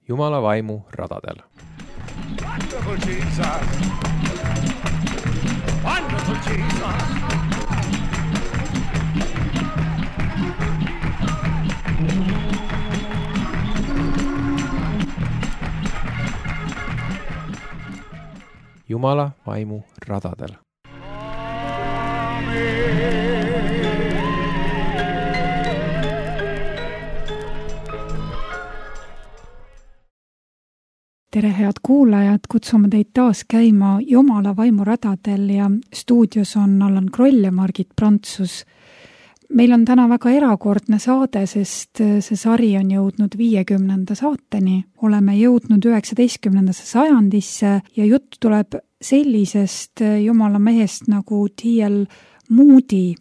Jumala vaimu radadel. Wonderful Jesus! Wonderful Jesus! Jumala vaimu radadel. Tere, head kuulajad, kutsume teid taas käima Jumala vaimu radadel ja stuudios on Allan Kroll ja Margit Prantsus. Meil on täna väga erakordne saade, sest see sari on jõudnud 50. saateni. Oleme jõudnud 19. sajandisse ja jutt tuleb sellisest Jumala mehest nagu T.L. Moody.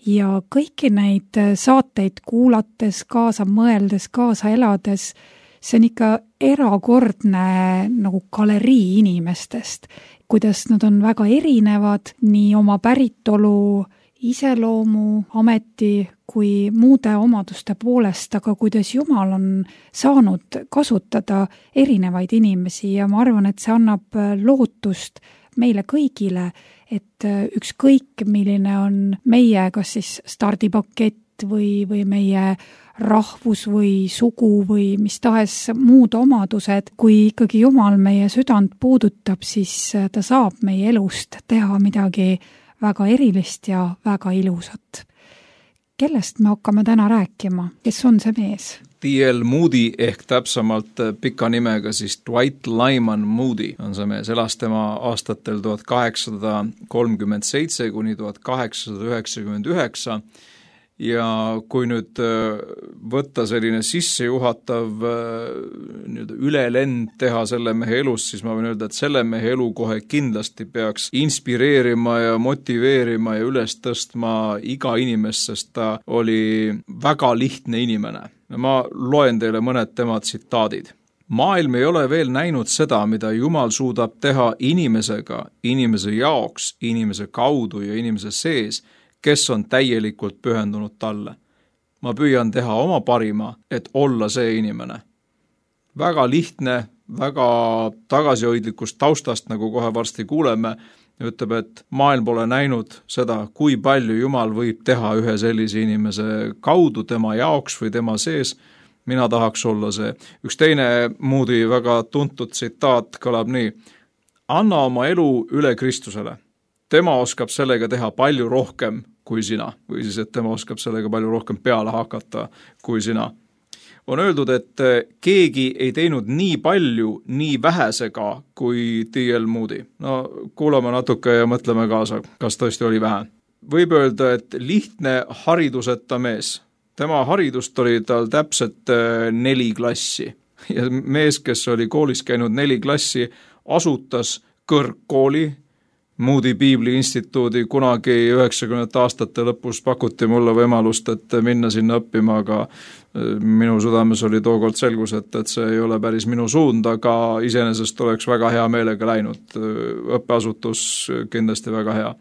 Ja kõiki neid saateid kuulates, kaasa mõeldes, kaasa elades, see on ikka erakordne nagu galerii inimestest, kuidas nad on väga erinevad nii oma päritolu, iseloomu, ameti kui muude omaduste poolest, aga kuidas Jumal on saanud kasutada erinevaid inimesi ja ma arvan, et see annab lootust meile kõigile, et ükskõik milline on meie kas siis stardipakett või meie rahvus või sugu või mis tahes muud omadused, kui ikkagi Jumal meie südant puudutab, siis ta saab meie elust teha midagi väga erilist ja väga ilusat. Kellest me hakkame täna rääkima? Kes on see mees? T.L. Moody ehk täpsemalt pika nimega siis Dwight Lyman Moody on see mees. Elas tema aastatel 1837 kuni 1899 ja kui nüüd võtta selline sissejuhatav ülelend teha selle mehe elust, siis ma võin öelda, et selle mehe elu kohe kindlasti peaks inspireerima ja motiveerima ja üles tõstma iga inimest, sest ta oli väga lihtne inimene. Ma loen teile mõned tema tsitaadid. Maailm ei ole veel näinud seda, mida Jumal suudab teha inimesega, inimese jaoks, inimese kaudu ja inimese sees, kes on täielikult pühendunud talle. Ma püüan teha oma parima, et olla see inimene. Väga lihtne, väga tagasihoidlikust taustast, nagu kohe varsti kuuleme, ütleb, et maailm pole näinud seda, kui palju Jumal võib teha ühe sellise inimese kaudu tema jaoks või tema sees. Mina tahaks olla see. Üks teine Moody väga tuntud tsitaat kõlab nii. Anna oma elu üle Kristusele. Tema oskab sellega teha palju rohkem kui sina, või siis, et tema oskab sellega palju rohkem peale hakata kui sina. On öeldud, et keegi ei teinud nii palju, nii vähesega kui T.L. Moody. No kuulame natuke ja mõtleme kaasa, kas tõesti oli vähe. Võib öelda, et lihtne hariduseta mees. Tema haridust oli tal täpselt 4 klassi. Ja mees, kes oli koolis käinud 4 klassi, asutas kõrgkooli, Moody Piibli instituudi. Kunagi 90. aastate lõpus pakuti mulle võimalust, et minna sinna õppima, aga minu südames oli tookord selgus, et see ei ole päris minu suund, aga iseenesest oleks väga hea meelega läinud. Õppeasutus kindlasti väga hea.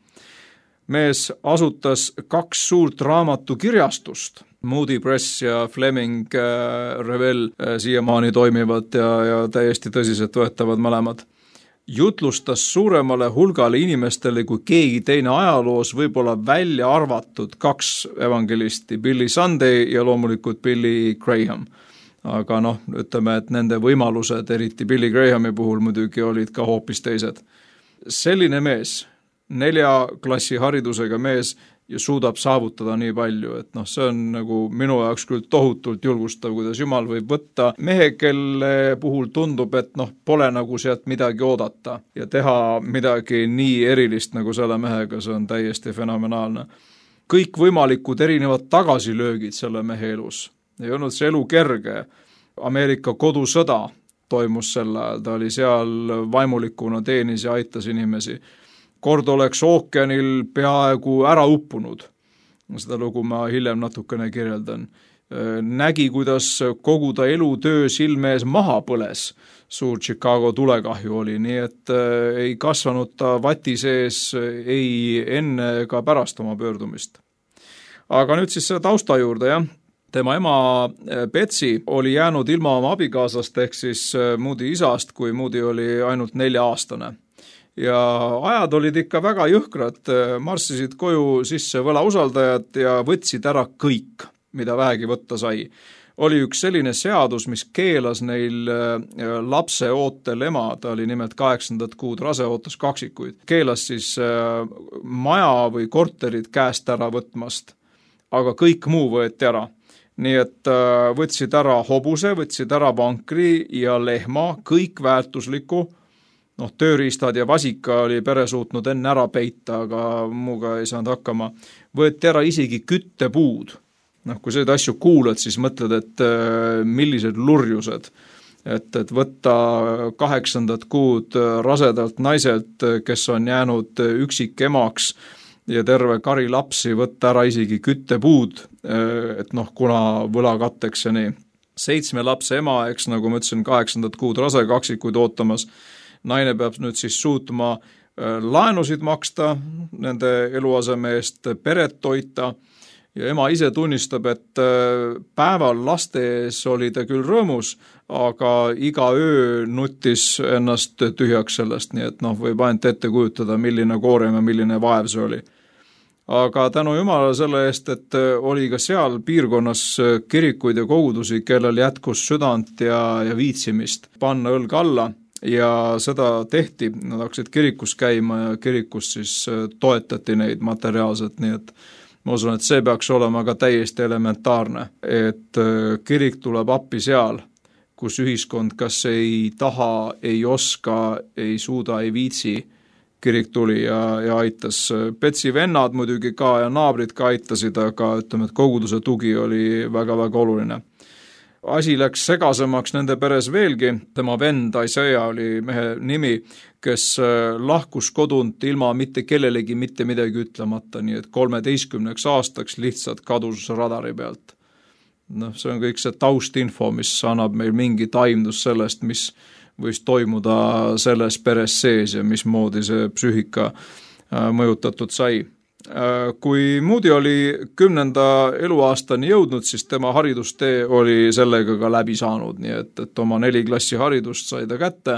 Mees asutas 2 suurt raamatukirjastust. Moody Press ja Fleming Revell siiamaani toimivad ja täiesti tõsiselt võetavad mõlemad. Jutlustas suuremale hulgale inimestele kui keegi teine ajaloos, võib-olla välja arvatud 2 evangelisti, Billy Sunday ja loomulikult Billy Graham. Aga ütleme, et nende võimalused, eriti Billy Grahami puhul muidugi olid ka hoopis teised. Selline mees, 4 klassi haridusega mees ja suudab saavutada nii palju, et see on nagu minu jaoks küll tohutult julgustav, kuidas Jumal võib võtta mehe, kelle puhul tundub, et pole nagu sealt midagi oodata ja teha midagi nii erilist nagu selle mehega, see on täiesti fenomenaalne. Kõik võimalikud erinevad tagasilöögid selle mehe elus. Ei olnud see elu kerge. Ameerika kodusõda toimus sel ajal, ta oli seal vaimulikuna, teenis ja aitas inimesi. Kord oleks ookeanil peaaegu ära uppunud. Seda lugu ma hiljem natukene kirjeldan. Nägi, kuidas kogu ta elutöö silme ees maha põles. Suur Chicago tulekahju oli, nii et ei kasvanud ta vati sees ei enne ega pärast oma pöördumist. Aga nüüd siis selle tausta juurde, jah. tema ema Betsy oli jäänud ilma oma abikaasast ehk siis Moody isast, kui Moody oli ainult 4-aastane. Ja ajad olid ikka väga jõhkrad, marssisid koju sisse võlausaldajad ja võtsid ära kõik, mida vähegi võtta sai. Oli üks selline seadus, mis keelas neil lapse ootel ema, ta oli nimelt 8. kuud rase, ootas kaksikuid, keelas siis maja või korterid käest ära võtmast, aga kõik muu võeti ära. Nii et võtsid ära hobuse, võtsid ära vankri ja lehma, kõik väärtuslikku, tööriistad ja vasika oli pere suutnud enne ära peita, aga muuga ei saanud hakkama. Võeti ära isegi küttepuud. Kui seda asju kuulad, siis mõtled, et millised lurjused. Et võtta 8. kuud rasedalt naiselt, kes on jäänud üksik emaks ja terve kari lapsi, võtta ära isegi küttepuud, et kuna võlakatteks ja nii. 7 lapse ema, eks nagu ma ütlesin, 8. kuud rase, kaksikuid ootamas. Naine peab nüüd siis suutma laenusid maksta nende eluaseme eest, peret toita ja ema ise tunnistab, et päeval laste ees oli ta küll rõõmus, aga iga öö nutis ennast tühjaks sellest, nii et võib ainult ette kujutada, milline koorem ja milline vaev see oli. Aga tänu Jumala selle eest, et oli ka seal piirkonnas kirikuid ja kogudusi, kellel jätkus südant ja viitsimist panna õlg alla. Ja seda tehti, nad hakkasid kirikus käima ja kirikus siis toetati neid materiaalselt, nii et ma usun, et see peaks olema ka täiesti elementaarne, et kirik tuleb appi seal, kus ühiskond kas ei taha, ei oska, ei suuda, ei viitsi, kirik tuli ja aitas. Betsy vennad muidugi ka ja naabrid ka aitasid, aga ütleme, et koguduse tugi oli väga-väga oluline. Asi läks segasemaks nende peres veelgi, tema vend Isaiah oli mehe nimi, kes lahkus kodunt ilma mitte kellelegi mitte midagi ütlemata, nii et 13 aastaks lihtsalt kadus radari pealt. See on kõik see taustinfo, mis annab meil mingi taimdus sellest, mis võis toimuda selles peres sees ja mismoodi see psüühika mõjutatud sai. Kui Moody oli 10. eluaastani jõudnud, siis tema haridustee oli sellega ka läbi saanud, nii et oma 4 klassi haridust sai ta kätte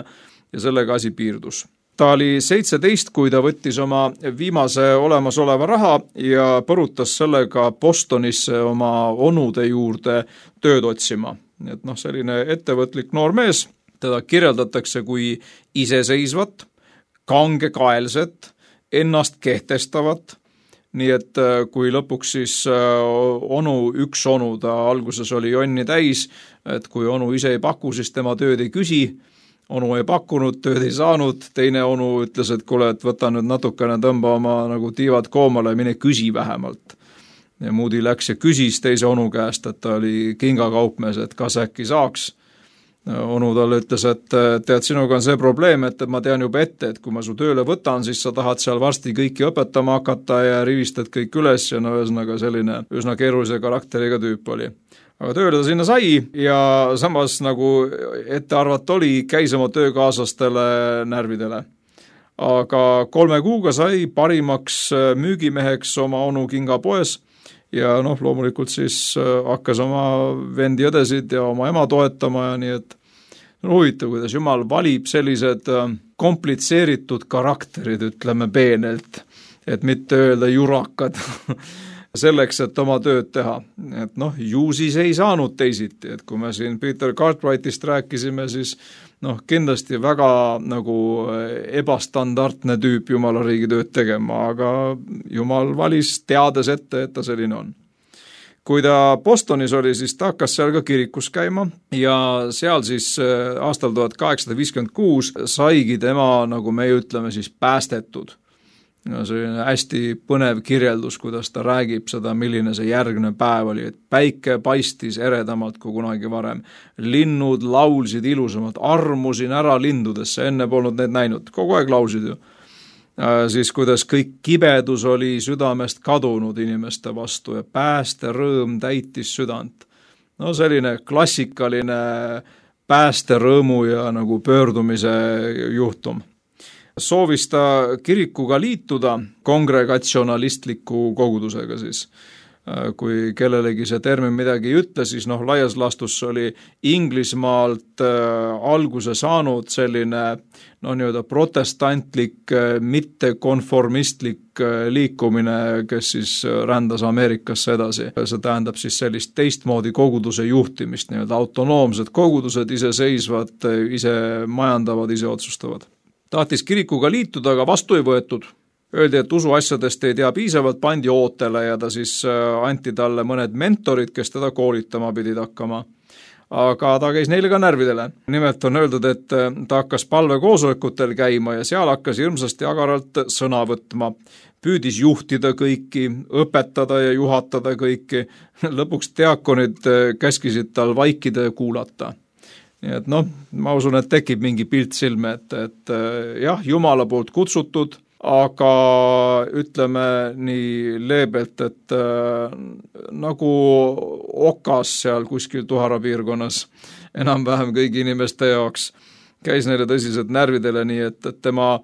ja sellega asi piirdus. Ta oli 17, kui ta võttis oma viimase olemasoleva raha ja põrutas sellega Bostonisse oma onude juurde tööd otsima. Nii et selline ettevõtlik noor mees, teda kirjeldatakse kui iseseisvat, kangekaelset, ennast kehtestavat. Nii et kui lõpuks siis üks onu, ta alguses oli jonni täis, et kui onu ise ei paku, siis tema tööd ei küsi, onu ei pakkunud, tööd ei saanud, teine onu ütles, et kuule, et võta nüüd natukene, tõmba oma tiivad koomale ja mine küsi vähemalt. Ja Moody läks ja küsis teise onu käest, et ta oli kingakaupmees, et kas äkki saaks. Onu talle ütles, et tead, sinuga on see probleem, et ma tean juba ette, et kui ma su tööle võtan, siis sa tahad seal varsti kõiki õpetama hakata ja rivistad kõik üles ja ühesõnaga selline üsna keerulise karakteriga tüüp oli. Aga tööle ta sinna sai ja samas nagu ette arvata oli, käis oma töökaaslastele närvidele. Aga 3 kuuga sai parimaks müügimeheks oma onu kingapoes ja loomulikult siis hakkas oma vendi õdesid ja oma ema toetama ja nii, et huvitav, kuidas Jumal valib sellised komplitseeritud karakterid, ütleme peenelt, et mitte öelda jurakad, selleks, et oma tööd teha. Et ju siis ei saanud teisiti, et kui me siin Peter Cartwrightist rääkisime, siis kindlasti väga nagu ebastandardne tüüp Jumala riigi tööd tegema, aga Jumal valis teades ette, et ta selline on. Kui ta Bostonis oli, siis ta hakkas seal ka kirikus käima ja seal siis aastal 1856 saigi tema, nagu me ütleme, siis päästetud. Selline hästi põnev kirjeldus, kuidas ta räägib seda, milline see järgne päev oli, et päike paistis eredamalt kui kunagi varem. Linnud laulsid ilusamalt, armusin ära lindudesse, enne polnud neid näinud, kogu aeg laulsid ju. Siis kuidas kõik kibedus oli südamest kadunud inimeste vastu ja pääste rõõm täitis südant. Selline klassikaline päästerõõmu ja nagu pöördumise juhtum. Soovis ta kirikuga liituda kongregatsionalistliku kogudusega siis. kui kellelegi see termin midagi ei ütle, siis laias laastus oli Inglismaalt alguse saanud selline nii-öelda protestantlik, mittekonformistlik liikumine, kes siis rändas Ameerikasse edasi. See tähendab siis sellist teistmoodi koguduse juhtimist, nii-öelda autonoomsed kogudused, iseseisvad, ise majandavad, ise otsustavad. Tahtis kirikuga liituda, aga vastu ei võetud. Öeldi, et usuasjadest ei tea piisavalt, pandi ootele ja ta siis anti talle mõned mentorid, kes teda koolitama pidid hakkama. Aga ta käis neile ka närvidele. Nimelt on öeldud, et ta hakkas palvekoosolekutel käima ja seal hakkas hirmsasti agaralt sõna võtma. Püüdis juhtida kõiki, õpetada ja juhatada kõiki. Lõpuks diakonid käskisid tal vaikida ja kuulata. Nii et ma usun, et tekib mingi pilt silme, et jah, Jumala poolt kutsutud, aga ütleme nii leebelt, et nagu okas seal kuskil Tuhara piirkonnas enam-vähem kõigi inimeste jaoks käis neile tõsiselt närvidele, nii et tema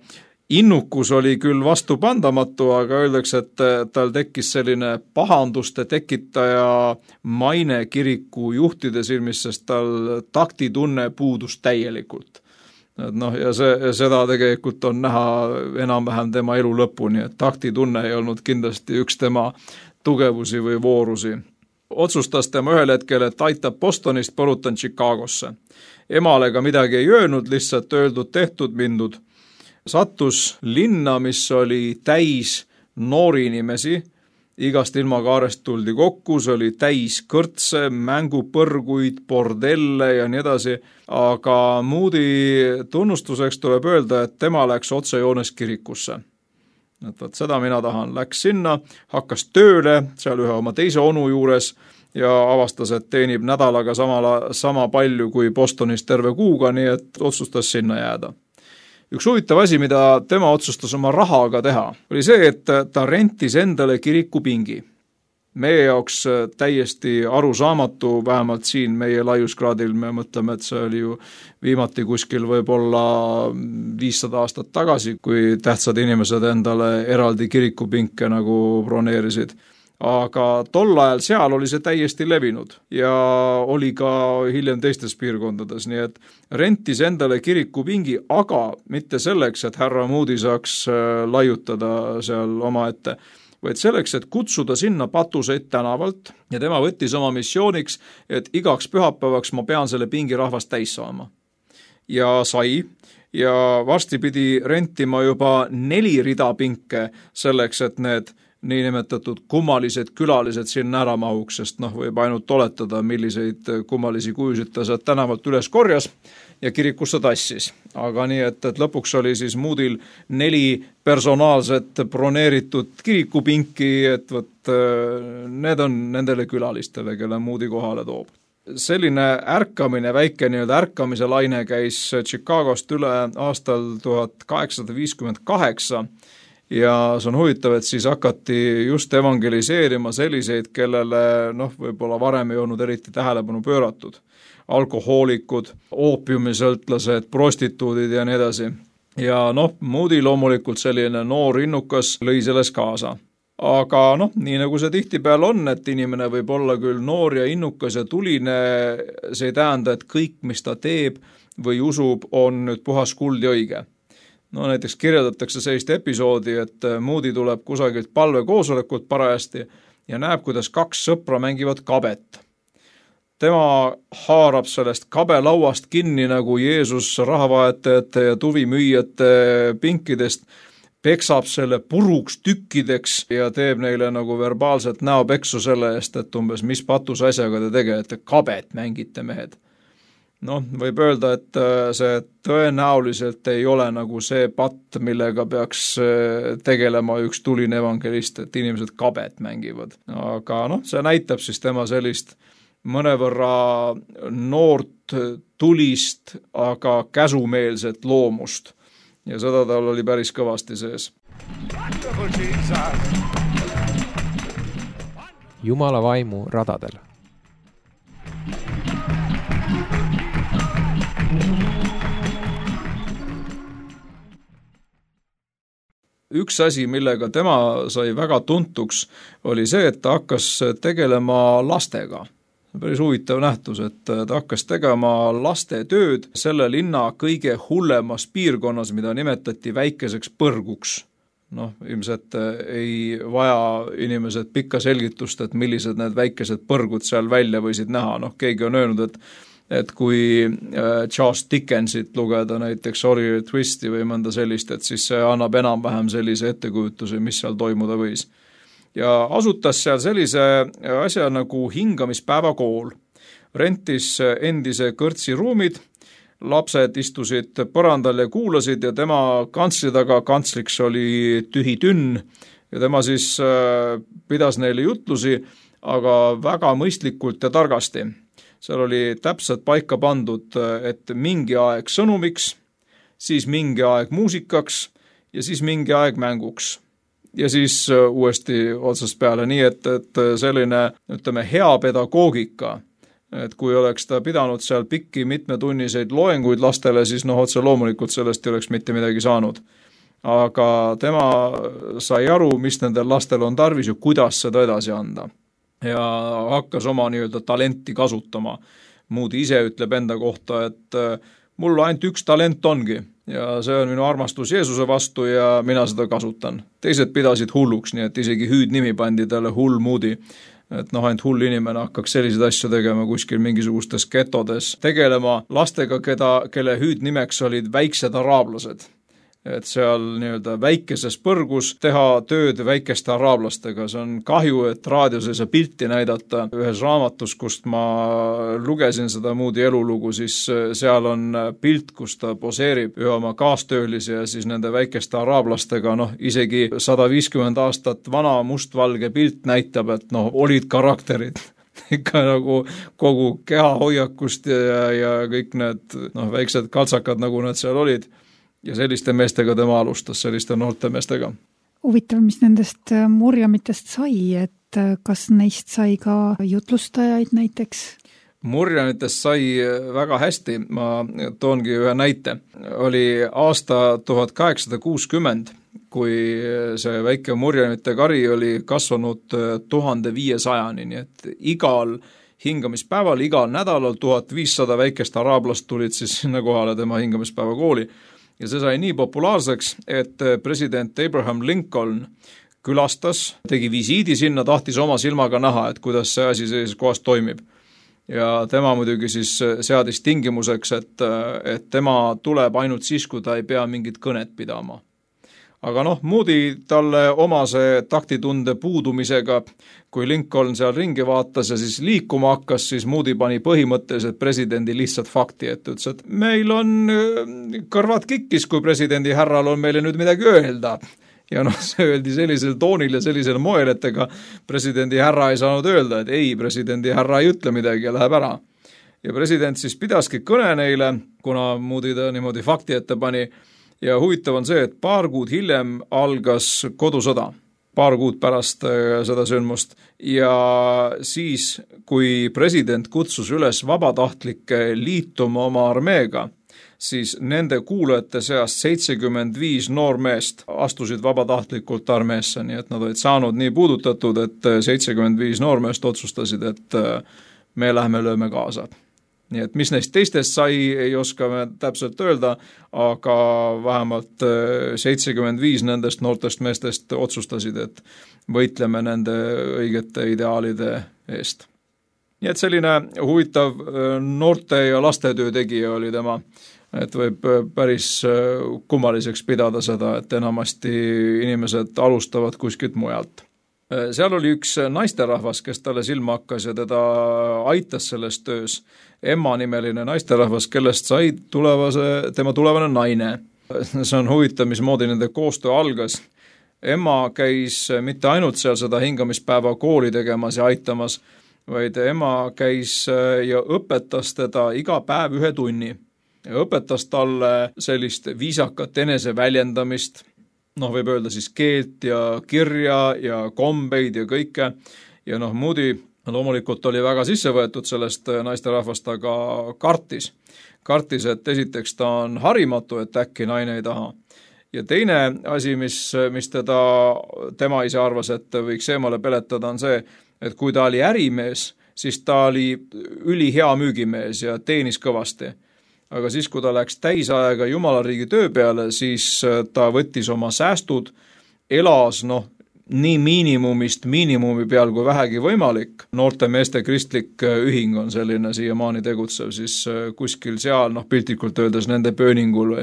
innukus oli küll vastupandamatu, aga öeldakse, et tal tekkis selline pahanduste tekitaja maine kiriku juhtide silmis, sest tal taktitunne puudus täielikult. Ja seda tegelikult on näha enam-vähem tema elu lõpuni, et taktitunne ei olnud kindlasti üks tema tugevusi või voorusi. Otsustas tema ühel hetkel, et aitab Bostonist, põrutan Chicagosse. Emale ka midagi ei öelnud, lihtsalt öeldud, tehtud, mindud. Sattus linna, mis oli täis noori inimesi, igast ilmakaarest tuldi kokku, see oli täis kõrtse, mängupõrguid, bordelle ja nii edasi, aga Moody tunnustuseks tuleb öelda, et tema läks otsejoones kirikusse. Et seda mina tahan, läks sinna, hakkas tööle, seal ühe oma teise onu juures ja avastas, et teenib nädalaga sama palju kui Bostonis terve kuuga, nii et otsustas sinna jääda. Üks huvitav asi, mida tema otsustas oma rahaga teha, oli see, et ta rentis endale kirikupingi. Meie jaoks täiesti arusaamatu, vähemalt siin meie laiuskraadil, me mõtleme, et see oli ju viimati kuskil võib-olla 500 aastat tagasi, kui tähtsad inimesed endale eraldi kirikupinke nagu broneerisid. Aga tol ajal seal oli see täiesti levinud ja oli ka hiljem teistes piirkondades, nii et rentis endale kirikupingi, aga mitte selleks, et härra Moody saaks laiutada seal omaette, vaid selleks, et kutsuda sinna patuseid tänavalt ja tema võttis oma missiooniks, et igaks pühapäevaks ma pean selle pingi rahvast täis saama. Ja sai ja varsti pidi rentima juba 4 rida pinke selleks, et need niinimetatud kummalised külalised sinna ära mahuks, sest võib ainult oletada, milliseid kummalisi kujusid ta sealt tänavalt üles korjas ja kirikusse tassis. Aga nii, et lõpuks oli siis Moodyl 4 personaalset broneeritud kirikupinki, et need on nendele külalistele, kelle Moody kohale toob. Selline ärkamine, väike nii-öelda ärkamise laine käis Chicagost üle aastal 1858 ja see on huvitav, et siis hakati just evangeliseerima selliseid, kellele võib-olla varem ei olnud eriti tähelepanu pööratud. Alkohoolikud, oopiumisõltlased, prostituudid ja nii edasi. Ja Moody loomulikult selline noor innukas lõi selles kaasa. Aga nii nagu see tihtipeale on, et inimene võib olla küll noor ja innukas ja tuline, see ei tähenda, et kõik, mis ta teeb või usub, on nüüd puhas kuld ja õige. Näiteks kirjeldatakse sellist episoodi, et Moody tuleb kusagilt palvekoosolekult parajasti ja näeb, kuidas 2 sõpra mängivad kabet. Tema haarab sellest kabelauast kinni nagu Jeesus rahavaetajate ja tuvimüüjate pinkidest, peksab selle puruks tükkideks ja teeb neile nagu verbaalselt näopeksu selle eest, et umbes mis patus asjaga te tegelete, kabet mängite mehed. Võib öelda, et see tõenäoliselt ei ole nagu see patt, millega peaks tegelema üks tuline evangelist, et inimesed kabet mängivad. Aga see näitab siis tema sellist mõnevõrra noort, tulist, aga käsumeelset loomust. Ja seda tal oli päris kõvasti sees. Jumala vaimu radadel. üks asi, millega tema sai väga tuntuks, oli see, et ta hakkas tegelema lastega. Päris huvitav nähtus, et ta hakkas tegema laste tööd selle linna kõige hullemas piirkonnas, mida nimetati väikeseks põrguks. Ilmselt ei vaja inimesed pikka selgitust, et millised need väikesed põrgud seal välja võisid näha. Keegi on öelnud, et kui Charles Dickensit lugeda näiteks Oliver Twisti või mõnda sellist, et siis see annab enam-vähem sellise ettekujutuse, mis seal toimuda võis. Ja asutas seal sellise asja nagu hingamispäevakool. Rentis endise kõrtsi ruumid, lapsed istusid põrandal ja kuulasid ja tema kantsli taga, kantsliks oli tühi tünn ja tema siis pidas neile jutlusi, aga väga mõistlikult ja targasti. Seal oli täpselt paika pandud, et mingi aeg sõnumiks, siis mingi aeg muusikaks ja siis mingi aeg mänguks. Ja siis uuesti otsast peale, nii et selline, hea pedagoogika, et kui oleks ta pidanud seal pikki mitmetunniseid loenguid lastele, siis otse loomulikult sellest ei oleks mitte midagi saanud. Aga tema sai aru, mis nendel lastel on tarvis ja kuidas seda edasi anda. Ja hakkas oma talenti kasutama. Moody ise ütleb enda kohta, et mul ainult üks talent ongi ja see on minu armastus Jeesuse vastu ja mina seda kasutan. Teised pidasid hulluks, nii et isegi hüüdnimi pandi talle Hull Moody. Et ainult hull inimene hakkaks selliseid asju tegema kuskil mingisugustes getodes, tegelema lastega, kelle hüüdnimeks olid väiksed araablased. Et seal väikeses põrgus teha tööd väikeste araablastega. See on kahju, et raadios ei saa pilti näidata. Ühes raamatus, kust ma lugesin seda Moody elulugu, siis seal on pilt, kus ta poseerib ühe oma kaastöölise ja siis nende väikeste araablastega, isegi 150 aastat vana mustvalge pilt näitab, et olid karakterid. Ikka nagu kogu keha hoiakust ja kõik need väiksed kaltsakad, nagu need seal olid. Ja selliste meestega tema alustas, selliste noorte meestega. Huvitav, mis nendest murjamitest sai, et kas neist sai ka jutlustajaid näiteks? Murjamitest sai väga hästi, ma toongi ühe näite. Oli aasta 1860, kui see väike murjamite kari oli kasvanud 1500-ni, nii et igal hingamispäeval, igal nädalal 1500 väikest araablast tulid siis sinna kohale tema hingamispäeva kooli. Ja see sai nii populaarseks, et president Abraham Lincoln külastas, tegi visiidi sinna, tahtis oma silmaga näha, et kuidas see asi sellises kohas toimib. Ja tema muidugi siis seadis tingimuseks, et tema tuleb ainult siis, kui ta ei pea mingit kõnet pidama. Aga Moody talle omase taktitunde puudumisega, kui Lincoln seal ringi vaatas ja siis liikuma hakkas, siis Moody pani põhimõtteliselt presidendi lihtsalt fakti, et ütles, et meil on kõrvad kikkis, kui presidendi härral on meile nüüd midagi öelda. Ja see öeldi sellisel toonil ja sellisel moel, et ega presidendi härra ei saanud öelda, et ei, presidendi härra ei ütle midagi ja läheb ära. Ja president siis pidaski kõne neile, kuna Moody ta niimoodi fakti ette pani. Ja huvitav on see, et paar kuud hiljem algas kodusõda, paar kuud pärast seda sündmust. Ja siis, kui president kutsus üles vabatahtlikke liituma oma armeega, siis nende kuulajate seast 75 noormeest astusid vabatahtlikult armeesse, nii et nad olid saanud nii puudutatud, et 75 noormeest otsustasid, et me lähme lööme kaasa. Nii et mis neist teistest sai, ei oska me täpselt öelda, aga vähemalt 75 nendest noortest meestest otsustasid, et võitleme nende õigete ideaalide eest. Nii et selline huvitav noorte ja lastetöö tegija oli tema, et võib päris kummaliseks pidada seda, et enamasti inimesed alustavad kuskilt mujalt. Seal oli üks naisterahvas, kes talle silma hakkas ja teda aitas selles töös. Emma nimeline naisterahvas, kellest sai tema tulevane naine. See on huvitav, mismoodi nende koostöö algas. Emma käis mitte ainult seal seda hingamispäeva kooli tegemas ja aitamas, vaid Emma käis ja õpetas teda iga päev 1 tunni. Ja õpetas talle sellist viisakat eneseväljendamist, võib öelda siis keelt ja kirja ja kombeid ja kõike. Ja Moody loomulikult oli väga sisse võetud sellest naisterahvast, aga kartis, et esiteks ta on harimatu, et äkki naine ei taha. Ja teine asi, mis tema ise arvas, et võiks eemale peletada, on see, et kui ta oli ärimees, siis ta oli ülihea müügimees ja teenis kõvasti. Aga siis, kui ta läks täisaega Jumala riigi töö peale, siis ta võttis oma säästud, elas nii miinimumi peal kui vähegi võimalik. Noorte meeste kristlik ühing on selline siiamaani tegutsev, siis kuskil seal, piltlikult öeldes nende pööningul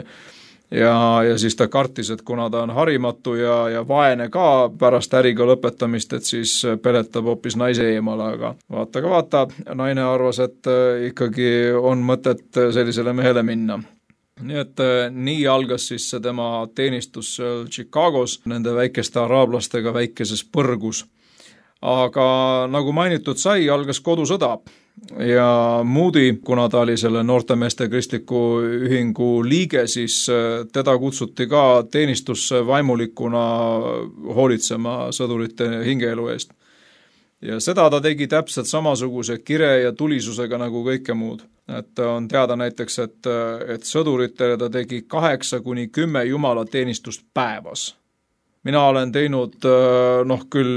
ja siis ta kartis, et kuna ta on harimatu ja vaene ka pärast äriga lõpetamist, et siis peletab hoopis naise eemale, aga vaata, naine arvas, et ikkagi on mõtet sellisele mehele minna. Nii et nii algas siis see tema teenistus Chicagos nende väikeste araablastega väikeses põrgus. Aga nagu mainitud sai, algas kodusõda ja Moody, kuna ta oli selle noortemeeste kristliku ühingu liige, siis teda kutsuti ka teenistusse vaimulikuna hoolitsema sõdurite hingeelu eest. Ja seda ta tegi täpselt samasuguse kire ja tulisusega nagu kõike muud. Et on teada näiteks, et sõduritele ta tegi 8-10 Jumala teenistust päevas. Mina olen teinud, küll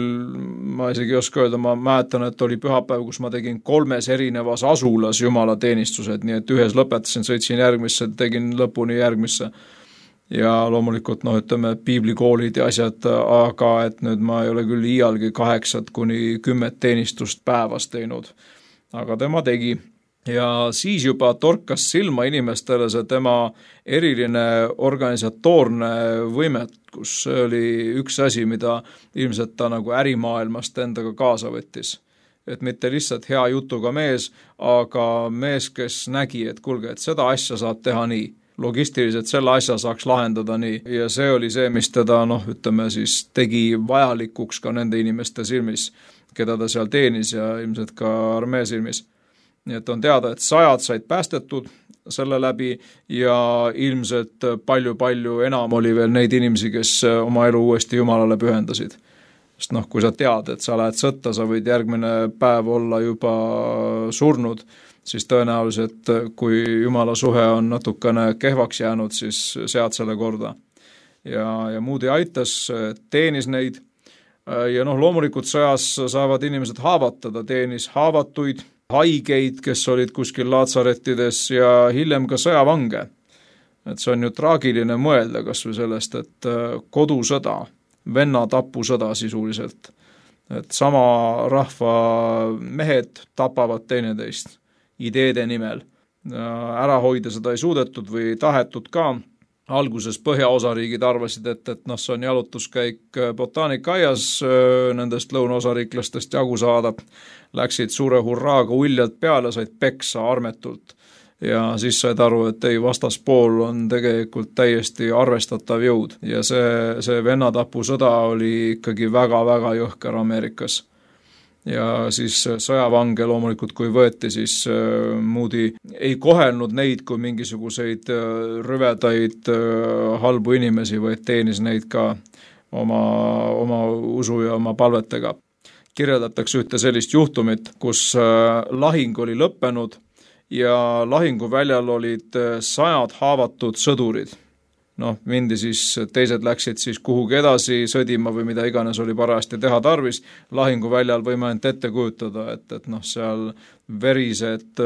ma isegi ei oska öelda, ma mäletan, et oli pühapäev, kus ma tegin 3 erinevas asulas Jumala teenistused, nii et ühes lõpetasin, sõitsin järgmisse, tegin lõpuni järgmisse. Ja loomulikult, piiblikoolid ja asjad, aga et nüüd ma ei ole küll iialgi 8-10 teenistust päevas teinud. Aga tema tegi. Ja siis juba torkas silma inimestele see tema eriline organisatoorne võimekus. See oli üks asi, mida ilmselt ta nagu ärimaailmast endaga kaasa võttis. Et mitte lihtsalt hea jutuga mees, aga mees, kes nägi, et kuulge, et seda asja saab teha nii. Logistiliselt selle asja saaks lahendada nii. Ja see oli see, mis teda, siis tegi vajalikuks ka nende inimeste silmis, keda ta seal teenis ja ilmselt ka armee silmis. Nii et on teada, et 100 said päästetud selle läbi ja ilmselt palju enam oli veel neid inimesi, kes oma elu uuesti Jumalale pühendasid. Sest kui sa tead, et sa lähed sõtta, sa võid järgmine päev olla juba surnud, siis tõenäoliselt, kui Jumala suhe on natukene kehvaks jäänud, siis sead selle korda. Ja Moody aitas, teenis neid ja loomulikult sõjas saavad inimesed haavatada, teenis haavatuid, haigeid, kes olid kuskil laatsarettides ja hiljem ka sõjavange. Et see on ju traagiline mõelda kas või sellest, et kodusõda, vennatapusõda sisuliselt, et sama rahva mehed tapavad teineteist ideede nimel. Ära hoida seda ei suudetud või tahetud ka. Alguses põhjaosariigid arvasid, et see on jalutuskäik botaanikaaias nendest lõunaosariiklastest jagu saada. Läksid suure hurraaga uljalt peale, said peksa armetult. Ja siis said aru, et ei, vastaspool on tegelikult täiesti arvestatav jõud. Ja see vennatapusõda oli ikkagi väga-väga jõhker Ameerikas. Ja siis sõjavange loomulikult, kui võeti, siis Moody ei kohelnud neid kui mingisuguseid rüvedaid halbu inimesi, vaid teenis neid ka oma usu ja oma palvetega. Kirjeldatakse ühte sellist juhtumit, kus lahing oli lõppenud ja lahinguväljal olid 100 haavatud sõdurid. Mindi siis, teised läksid siis kuhugi edasi sõdima või mida iganes oli parajasti teha tarvis. Lahinguväljal võime ainult ette kujutada, et seal verised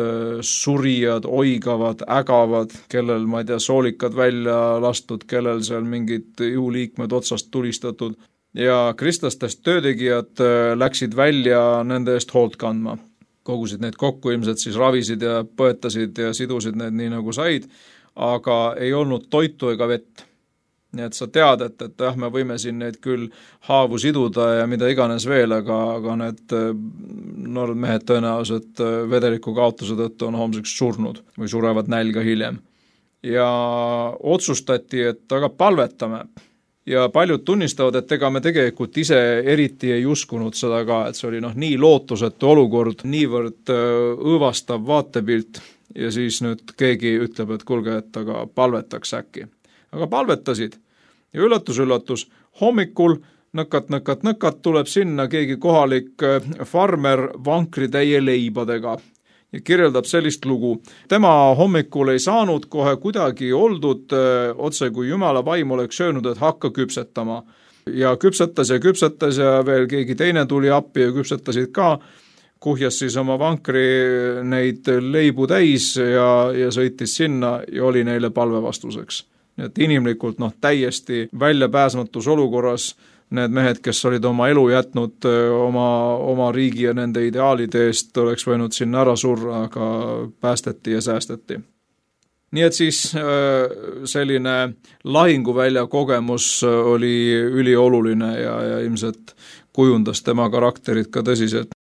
surijad, oigavad, ägavad, kellel, ma ei tea, soolikad välja lastud, kellel seal mingid juuliikmed otsast tulistatud. Ja kristlastest töötegijad läksid välja nende eest hoolt kandma. Kogusid neid kokku, ilmselt siis ravisid ja põetasid ja sidusid need nii nagu said. Aga ei olnud toitu ega vett. Nii et sa tead, et me võime siin neid küll haavu siduda ja mida iganes veel, aga need noored mehed tõenäoliselt vedeliku kaotuse tõttu on homseks surnud või surevad nälga hiljem. Ja otsustati, et aga palvetame. Ja paljud tunnistavad, et ega me tegelikult ise eriti ei uskunud seda ka, et see oli nii lootusetu olukord, niivõrd õõvastav vaatepilt. Ja siis nüüd keegi ütleb, et kuulge, et aga palvetaks äkki. Aga palvetasid. Ja üllatus, hommikul nõkat tuleb sinna keegi kohalik farmer vankritäie leibadega. ja kirjeldab sellist lugu. Tema hommikul ei saanud kohe kuidagi oldud, otse kui Jumala vaim oleks öelnud, et hakka küpsetama. Ja küpsetas ja veel keegi teine tuli appi ja küpsetasid ka, kuhjas siis oma vankri neid leibu täis ja sõitis sinna ja oli neile palvevastuseks. Nii et inimlikult täiesti väljapääsmatus olukorras need mehed, kes olid oma elu jätnud oma riigi ja nende ideaalide eest, oleks võinud sinna ära surra, aga päästeti ja säästeti. Nii et siis selline lahinguvälja kogemus oli ülioluline ja ilmselt kujundas tema karakterit ka tõsiselt.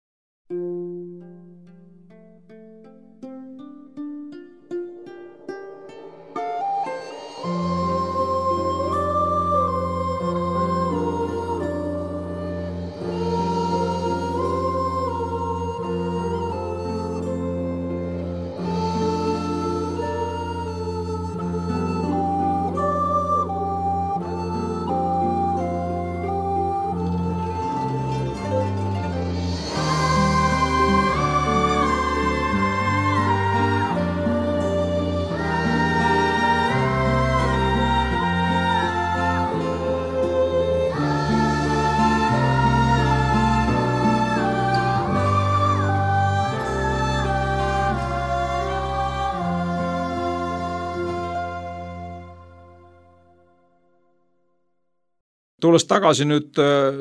Tulles tagasi nüüd,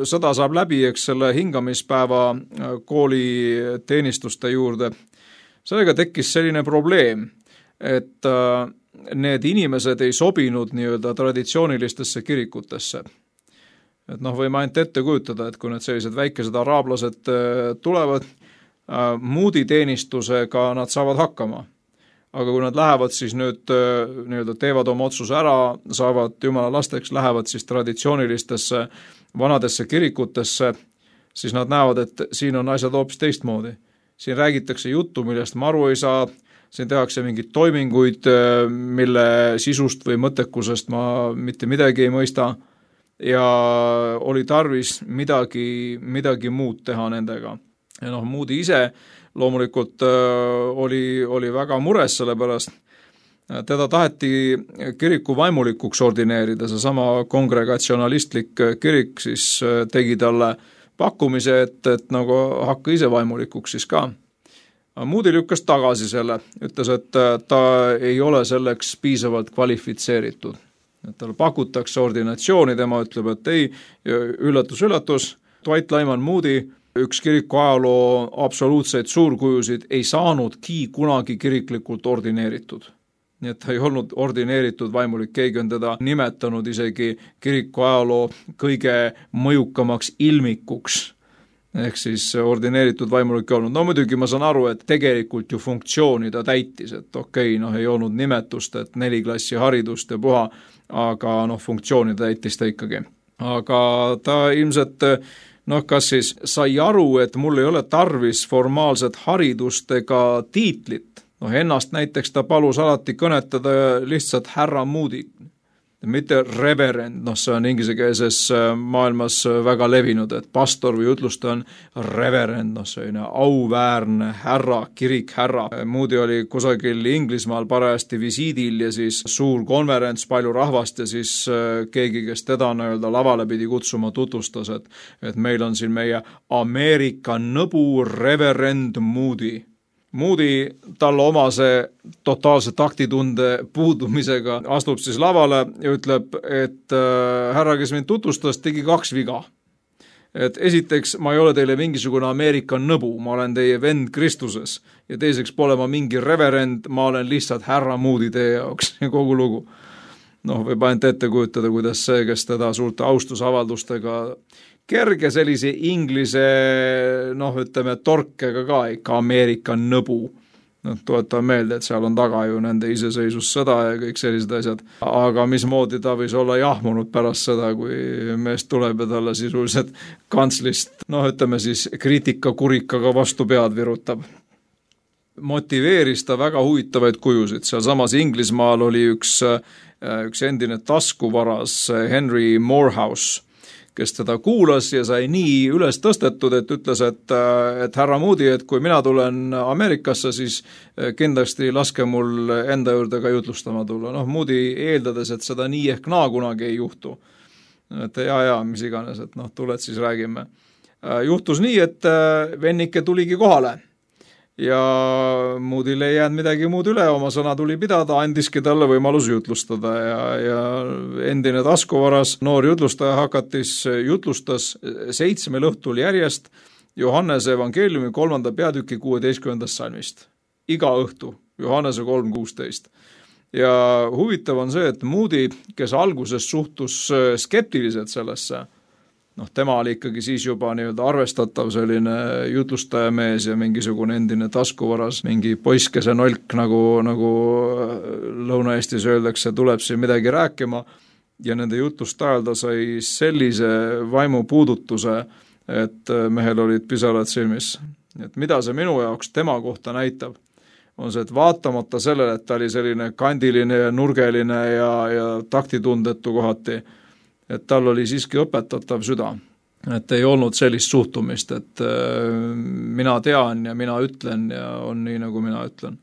sõda saab läbi, eks selle hingamispäeva kooli teenistuste juurde. Sellega tekkis selline probleem, et need inimesed ei sobinud nii-öelda traditsioonilistesse kirikutesse. Et võime ainult ette kujutada, et kui need sellised väikesed araablased tulevad, Moody teenistusega nad saavad hakkama. Aga kui nad lähevad siis nüüd nii-öelda teevad oma otsuse ära, saavad Jumala lasteks, lähevad siis traditsioonilistesse vanadesse kirikutesse, siis nad näevad, et siin on asjad hoopis teistmoodi. Siin räägitakse juttu, millest ma aru ei saa, siin tehakse mingeid toiminguid, mille sisust või mõttekusest ma mitte midagi ei mõista ja oli tarvis midagi muud teha nendega. Ja Moody ise loomulikult oli väga mures selle pärast. Teda taheti kiriku vaimulikuks ordineerida, see sama kongregatsionalistlik kirik siis tegi talle pakkumise, et hakka ise vaimulikuks siis ka. Moody lükkas tagasi selle, ütles, et ta ei ole selleks piisavalt kvalifitseeritud. Et talle pakutakse ordinatsiooni, tema ütleb, et ei, üllatus, Dwight Lyman Moody, üks kiriku ajaloo absoluutseid suurkujusid, ei saanudki kunagi kiriklikult ordineeritud. Nii et ta ei olnud ordineeritud vaimulik, keegi on teda nimetanud isegi kiriku ajaloo kõige mõjukamaks ilmikuks, ehk siis ordineeritud vaimulik ei olnud. No muidugi ma saan aru, et tegelikult ju funktsiooni ta täitis, et ei olnud nimetust, et 4 klassi haridust ja puha, aga funktsiooni täitis ta ikkagi. Aga ta ilmselt kas siis sai aru, et mul ei ole tarvis formaalset haridust ega tiitlit. Ennast näiteks ta palus alati kõnetada lihtsalt härra Moody, mitte reverend, see on inglisekeelses maailmas väga levinud, et pastor või jutlustaja on reverend, see on auväärne härra, kirikhärra. Moody oli kusagil Inglismaal parajasti visiidil ja siis suur konverents, palju rahvast ja siis keegi, kes teda lavale pidi kutsuma, tutvustas, et meil on siin meie Ameerika nõbu reverend Moody. Moody talle omase totaalse taktitunde puudumisega astub siis lavale ja ütleb, et härra, kes mind tutvustas, tegi 2 viga. Et esiteks, ma ei ole teile mingisugune Ameerika nõbu, ma olen teie vend Kristuses ja teiseks pole ma mingi reverend, ma olen lihtsalt härra Moody teie jaoks ja kogu lugu. Võib ainult ette kujutada, kuidas see, kes teda suurte austusavaldustega kerge sellise inglise, torkega ka ikka Ameerika nõbu. Tuletan meelde, et seal on taga ju nende iseseisvussõda ja kõik sellised asjad. Aga mismoodi ta võis olla jahmunud pärast seda, kui mees tuleb ja talle sisuliselt kantslist, siis kriitikakurikaga vastu pead virutab. Motiveeris ta väga huvitavaid kujusid. Seal samas Inglismaal oli üks endine taskuvaras Henry Morehouse, kes teda kuulas ja sai nii üles tõstetud, et ütles, et härra Moody, et kui mina tulen Ameerikasse, siis kindlasti laske mul enda juurde ka jutlustama tulla. Moody eeldades, et seda nii ehk naa kunagi ei juhtu. Et mis iganes, et tuled siis räägime. Juhtus nii, et vennike tuligi kohale ja Moodyle ei jäänud midagi muud üle, oma sõna tuli pidada, andiski talle võimalus jutlustada ja endine taskuvaras noor jutlustaja jutlustas 7 õhtul järjest Johannese evangeeliumi 3. peatüki 16. salmist. Iga õhtu, Johannese 3.16. Ja huvitav on see, et Moody, kes alguses suhtus skeptiliselt sellesse, tema oli ikkagi siis juba arvestatav selline jutlustajamees ja mingisugune endine taskuvaras, mingi poiskese nolk, nagu Lõuna-Eestis öeldakse, tuleb siin midagi rääkima ja nende jutlust ajal ta sai sellise vaimu puudutuse, et mehel olid pisarad silmis. Et mida see minu jaoks tema kohta näitab, on see, et vaatamata sellele, et ta oli selline kandiline ja nurgeline ja taktitundetu kohati, et tal oli siiski õpetatav süda, et ei olnud sellist suhtumist, et mina tean ja mina ütlen ja on nii, nagu mina ütlen.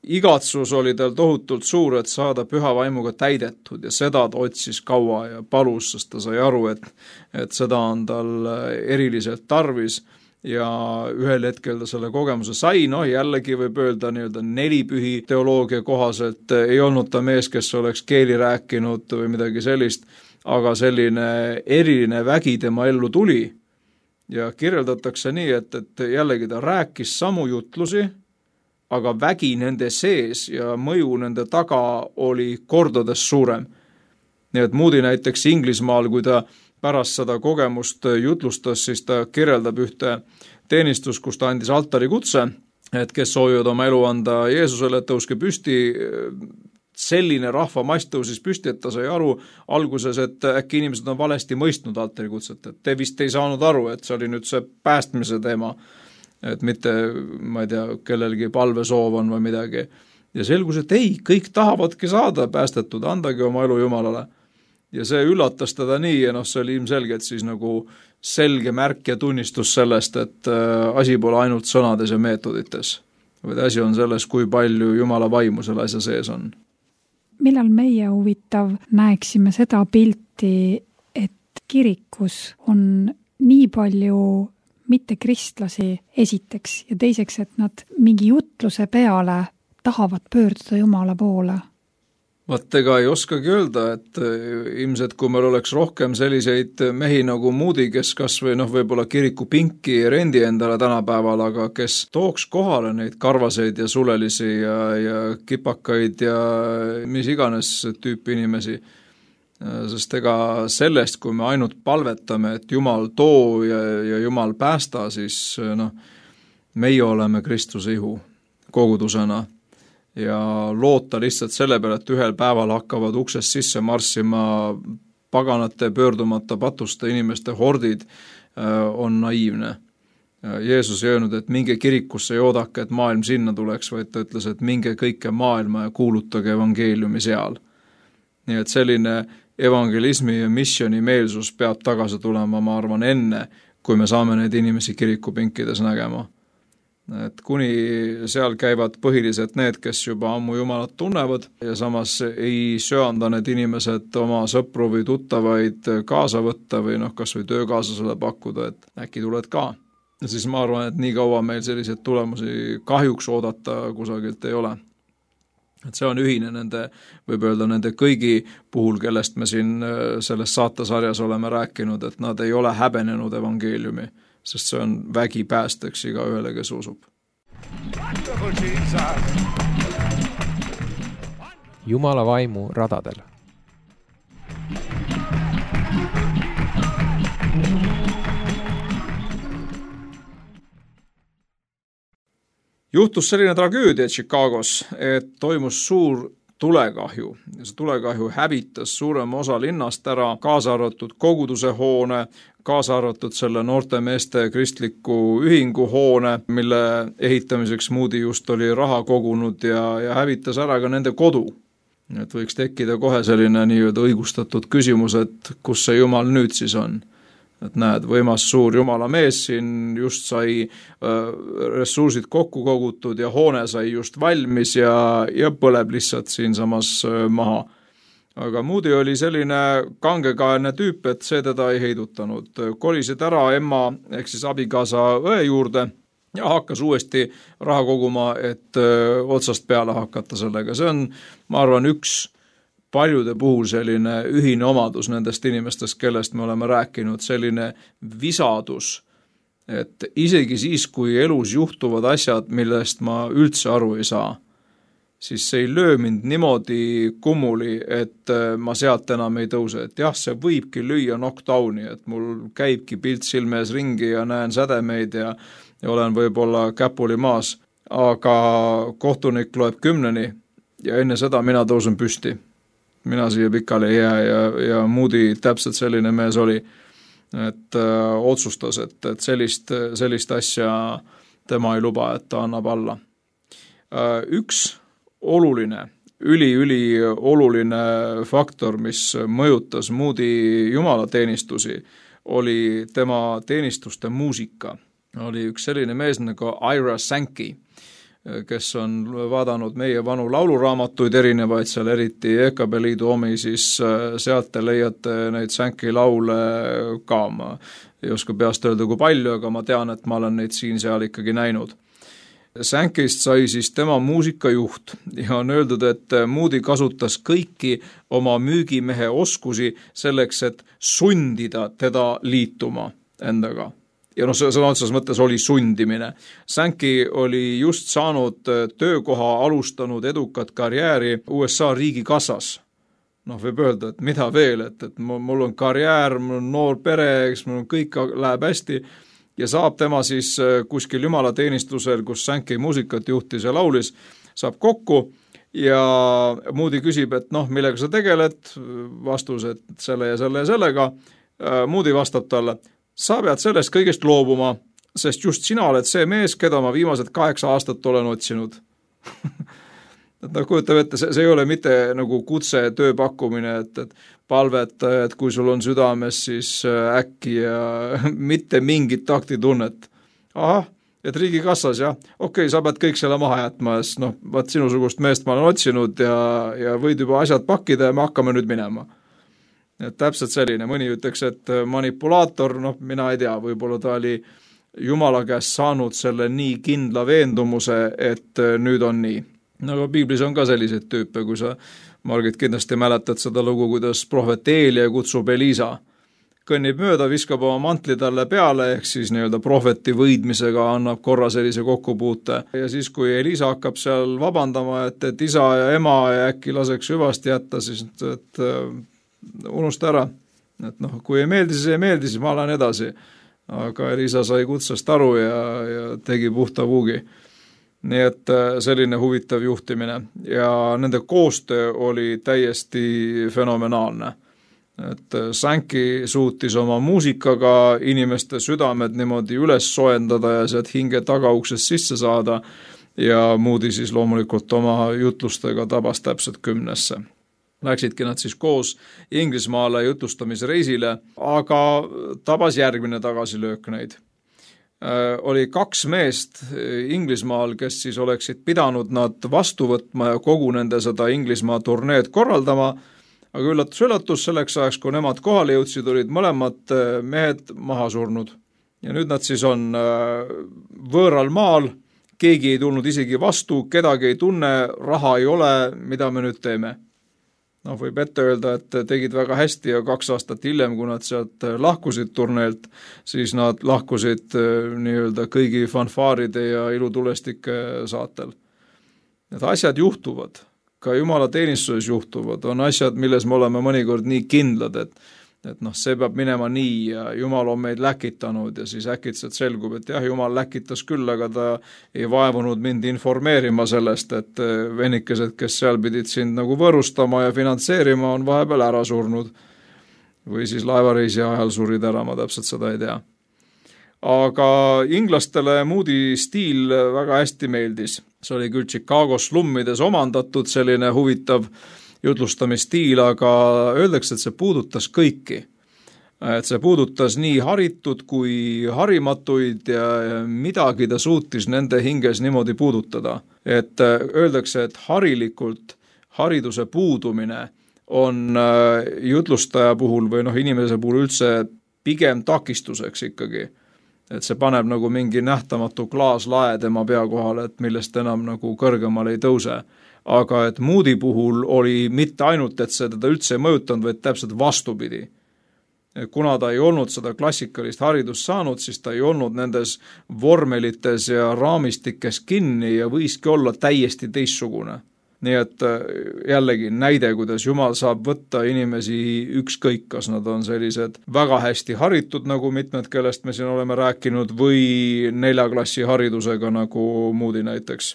Igatsus oli tal tohutult suur, et saada püha vaimuga täidetud ja seda ta otsis kaua ja palus, sest ta sai aru, et seda on tal eriliselt tarvis ja ühel hetkel ta selle kogemuse sai, jällegi võib öelda 4 pühi teoloogia kohaselt, ei olnud ta mees, kes oleks keeli rääkinud või midagi sellist, aga selline eriline vägi tema ellu tuli ja kirjeldatakse nii, et jällegi ta rääkis samu jutlusi, aga vägi nende sees ja mõju nende taga oli kordades suurem. Nii et Moody näiteks Inglismaal, kui ta pärast seda kogemust jutlustas, siis ta kirjeldab ühte teenistus, kus ta andis altari kutse, et kes soovivad oma elu anda Jeesusele, et tõuske püsti. Selline rahvamass tõusis püsti, et ta sai aru alguses, et äkki inimesed on valesti mõistnud altarikutset, et te vist ei saanud aru, et see oli nüüd see päästmise teema, et mitte, ma ei tea, kellelgi palvesoov on või midagi. Ja selgus, et ei, kõik tahavadki saada päästetud, andagi oma elu Jumalale. Ja see üllatas teda nii ja see oli ilmselgelt siis nagu selge märk ja tunnistus sellest, et asi pole ainult sõnades ja meetodites, vaid asi on selles, kui palju Jumala vaimu selle asja sees on. Millal meie huvitav näeksime seda pilti, et kirikus on nii palju mittekristlasi esiteks ja teiseks, et nad mingi jutluse peale tahavad pöörduda Jumala poole? Vaat ega ei oskagi öelda, et ilmselt kui meil oleks rohkem selliseid mehi nagu Moody, kes kas või võib-olla kiriku pinki rendi endale tänapäeval, aga kes tooks kohale neid karvaseid ja sulelisi ja kipakaid ja mis iganes tüüpi inimesi. Sest ega sellest, kui me ainult palvetame, et Jumal too ja Jumal päästa, siis meie oleme Kristuse ihu kogudusena. Ja loota lihtsalt selle peale, et ühel päeval hakkavad uksest sisse marssima paganate pöördumata patuste inimeste hordid, on naiivne. Jeesus ei öelnud, et minge kirikusse ja oodake, et maailm sinna tuleks, vaid ta ütles, et minge kõike maailma ja kuulutage evangeeliumi seal. Nii et selline evangelismi ja missioni meelsus peab tagasi tulema, ma arvan, enne, kui me saame neid inimesi kirikupinkides nägema. Et kuni seal käivad põhiliselt need, kes juba ammu Jumalat tunnevad ja samas ei söanda need inimesed oma sõpru või tuttavaid kaasa võtta või kas või töökaaslasele pakkuda, et äkki tuled ka. Ja siis ma arvan, et nii kaua meil selliseid tulemusi kahjuks oodata kusagilt ei ole. Et see on ühine nende, võib öelda nende kõigi puhul, kellest me siin selles saatesarjas oleme rääkinud, et nad ei ole häbenenud evangeeliumi, sest see on vägi päästeks iga ühele, kes usub. Jumala vaimu radadel. Juhtus selline tragöödia Chicagos, et toimus suur tulekahju. See tulekahju hävitas suurema osa linnast ära, kaasa arvatud koguduse hoone, kaasa arvatud selle noorte meeste kristliku ühingu hoone, mille ehitamiseks Moody just oli raha kogunud ja hävitas ära ka nende kodu. et võiks tekkida kohe selline nii-öelda õigustatud küsimus, et kus see Jumal nüüd siis on. Et näed, võimas suur Jumala mees siin just sai ressursid kokku kogutud ja hoone sai just valmis ja põleb lihtsalt siinsamas maha. Aga Moody oli selline kangekaelne tüüp, et see teda ei heidutanud. Kolisid ära emma ehk siis abikaasa õe juurde ja hakkas uuesti raha koguma, et otsast peale hakata sellega. See on, ma arvan, üks paljude puhul selline ühine omadus nendest inimestest, kellest me oleme rääkinud, selline visadus, et isegi siis, kui elus juhtuvad asjad, millest ma üldse aru ei saa, siis see ei löö mind niimoodi kummuli, et ma sealt enam ei tõuse. Et jah, see võibki lüüa knockdowni, et mul käibki pilt silme ees ringi ja näen sädemeid ja olen võib-olla käpuli maas, aga kohtunik loeb 10 ja enne seda mina tõusen püsti. Mina siia pikali ei jää ja Moody täpselt selline mees oli, et otsustas, et sellist asja tema ei luba, et ta annab alla. Üks oluline, üli oluline faktor, mis mõjutas Moody jumalateenistusi, oli tema teenistuste muusika. Oli üks selline mees nagu Ira Sankey, kes on vaadanud meie vanu lauluraamatuid erinevaid, seal eriti EKB liidu omi, siis sealt te leiate neid Sankey laule ka. Ma ei oska peast öelda kui palju, aga ma tean, et ma olen neid siin-seal ikkagi näinud. Sankeyst sai siis tema muusikajuht ja on öeldud, et Moody kasutas kõiki oma müügimehe oskusi selleks, et sundida teda liituma endaga. Ja sõna otseses mõttes oli sundimine. Sankey oli just saanud töökoha alustanud edukat karjääri USA riigikassas. Võib öelda, et mida veel, et mul on karjäär, mul on noor pere, eks mul kõik läheb hästi, ja saab tema siis kuskil jumalateenistusel, kus Sankey muusikat juhtis ja laulis, saab kokku ja Moody küsib, et millega sa tegeled, vastus, et selle ja sellega. Moody vastab talle, sa pead sellest kõigest loobuma, sest just sina oled see mees, keda ma viimased 8 aastat olen otsinud. Kujutab ette, see ei ole mitte nagu kutse tööpakkumine, et palveta, et kui sul on südames, siis äkki ja mitte mingit taktitunnet. Ahah, et riigikassas, jah, okei, sa pead kõik selle maha jätma, sest vaat sinusugust meest ma olen otsinud ja võid juba asjad pakkida ja me hakkame nüüd minema. Et täpselt selline, mõni ütleks, et manipulaator, mina ei tea, võib-olla ta oli Jumala käest saanud selle nii kindla veendumuse, et nüüd on nii. Aga Piiblis on ka selliseid tüüpe, kui sa, Margit, kindlasti mäletad seda lugu, kuidas prohvet Eelia kutsub Elisa. Kõnnib mööda, viskab oma mantli talle peale, ehk siis nii-öelda prohveti võidmisega annab korra sellise kokkupuute. Ja siis, kui Elisa hakkab seal vabandama, et isa ja ema ja äkki laseks hüvasti jätta, siis et unusta ära. Et kui ei meeldi, siis ei meeldi, siis ma lähen edasi. Aga Elisa sai kutsest aru ja tegi puhta puugi. Nii et selline huvitav juhtimine ja nende koostöö oli täiesti fenomenaalne. Et Sankey suutis oma muusikaga inimeste südamed niimoodi üles soendada ja sealt hinge tagauksest sisse saada ja Moody siis loomulikult oma jutlustega tabas täpselt 10. Läksidki nad siis koos Inglismaale jutlustamisreisile, aga tabas järgmine tagasilöök neid. Oli 2 meest Inglismaal, kes siis oleksid pidanud nad vastu võtma ja kogu nende seda Inglismaa turneed korraldama, aga üllatus selleks ajaks, kui nemad kohale jõudsid, olid mõlemad mehed maha surnud. Ja nüüd nad siis on võõral maal, keegi ei tulnud isegi vastu, kedagi ei tunne, raha ei ole, mida me nüüd teeme. Võib ette öelda, et tegid väga hästi ja 2 aastat hiljem, kui nad sealt lahkusid turneelt, siis nad lahkusid nii-öelda kõigi fanfaaride ja ilutulestike saatel. Need asjad juhtuvad, ka Jumala teenistuses juhtuvad, on asjad, milles me oleme mõnikord nii kindlad, et see peab minema nii ja Jumal on meid läkitanud ja siis äkitselt selgub, et jah, Jumal läkitas küll, aga ta ei vaevunud mind informeerima sellest, et venikesed, kes seal pidid sind nagu võrustama ja finantseerima, on vahepeal ära surnud. Või siis laevareisi ajal surid ära, ma täpselt seda ei tea. Aga inglastele Moody stiil väga hästi meeldis. See oli küll Chicago slummides omandatud selline huvitav jutlustamisstiil, aga öeldakse, et see puudutas kõiki. Et see puudutas nii haritud kui harimatuid ja midagi ta suutis nende hinges niimoodi puudutada. Et öeldakse, et harilikult hariduse puudumine on jutlustaja puhul või inimese puhul üldse pigem takistuseks ikkagi. Et see paneb nagu mingi nähtamatu klaaslae tema pea kohale, et millest enam nagu kõrgemale ei tõuse. Aga et Moody puhul oli mitte ainult, et see teda üldse ei mõjutanud, vaid täpselt vastupidi. Kuna ta ei olnud seda klassikalist haridust saanud, siis ta ei olnud nendes vormelites ja raamistikes kinni ja võiski olla täiesti teistsugune. Nii et jällegi näide, kuidas Jumal saab võtta inimesi ükskõik, kas nad on sellised väga hästi haritud, nagu mitmed, kellest me siin oleme rääkinud, või 4. klassi haridusega, nagu Moody näiteks.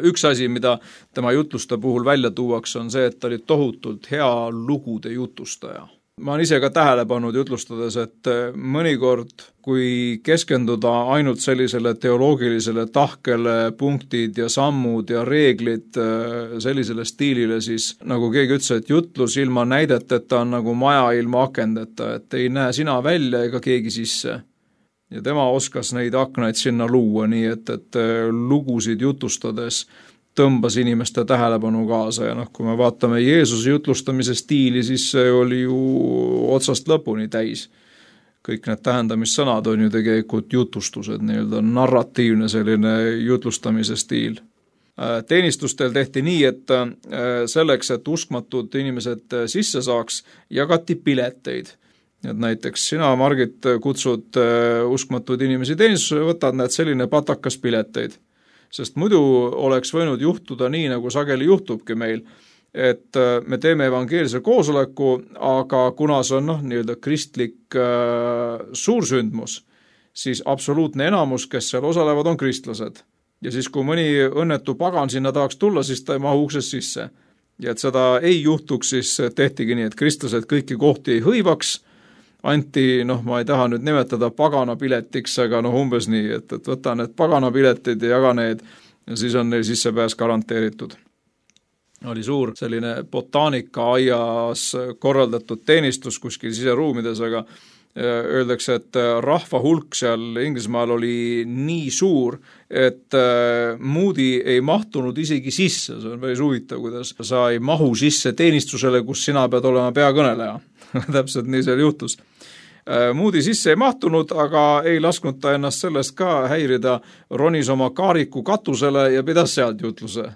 Üks asi, mida tema jutluste puhul välja tuuaks, on see, et ta oli tohutult hea lugude jutustaja. Ma olen ise ka tähele pannud jutlustades, et mõnikord, kui keskenduda ainult sellisele teoloogilisele tahkele punktid ja sammud ja reeglid sellisele stiilile, siis nagu keegi ütles, et jutlus ilma näideteta on nagu maja ilma akendeta, et ei näe sina välja ega keegi sisse. Ja tema oskas neid aknaid sinna luua, nii et lugusid jutustades tõmbas inimeste tähelepanu kaasa ja kui me vaatame Jeesuse jutlustamise stiili, siis see oli ju otsast lõpuni täis. Kõik need tähendamissõnad on ju tegelikult jutustused, nii-öelda narratiivne selline jutlustamise stiil. Teenistustel tehti nii, et selleks, et uskmatud inimesed sisse saaks, jagati pileteid. Et näiteks sina, Margit, kutsud uskmatud inimesi teenistusele, võtad need selline patakas pileteid. Sest muidu oleks võinud juhtuda nii, nagu sageli juhtubki meil, et me teeme evangeelse koosoleku, aga kuna see on nii-öelda kristlik suursündmus, siis absoluutne enamus, kes seal osalevad, on kristlased. Ja siis, kui mõni õnnetu pagan sinna tahaks tulla, siis ta ei mahu uksest sisse. Ja et seda ei juhtuks, siis tehtigi nii, et kristlased kõiki kohti ei hõivaks, anti, ma ei taha nüüd nimetada pagana piletiks, aga umbes nii, et võta need pagana piletid ja jaga need ja siis on neil sissepääs garanteeritud. Oli suur selline botaanika-aias korraldatud teenistus kuskil siseruumides, aga öeldakse, et rahva hulk seal Inglismaal oli nii suur, et Moody ei mahtunud isegi sisse. See on päris huvitav, kuidas sa ei mahu sisse teenistusele, kus sina pead olema peakõneleja. Täpselt nii seal juhtus. Moody sisse ei mahtunud, aga ei lasknud ta ennast sellest ka häirida, ronis oma kaariku katusele ja pidas sealt jutluse.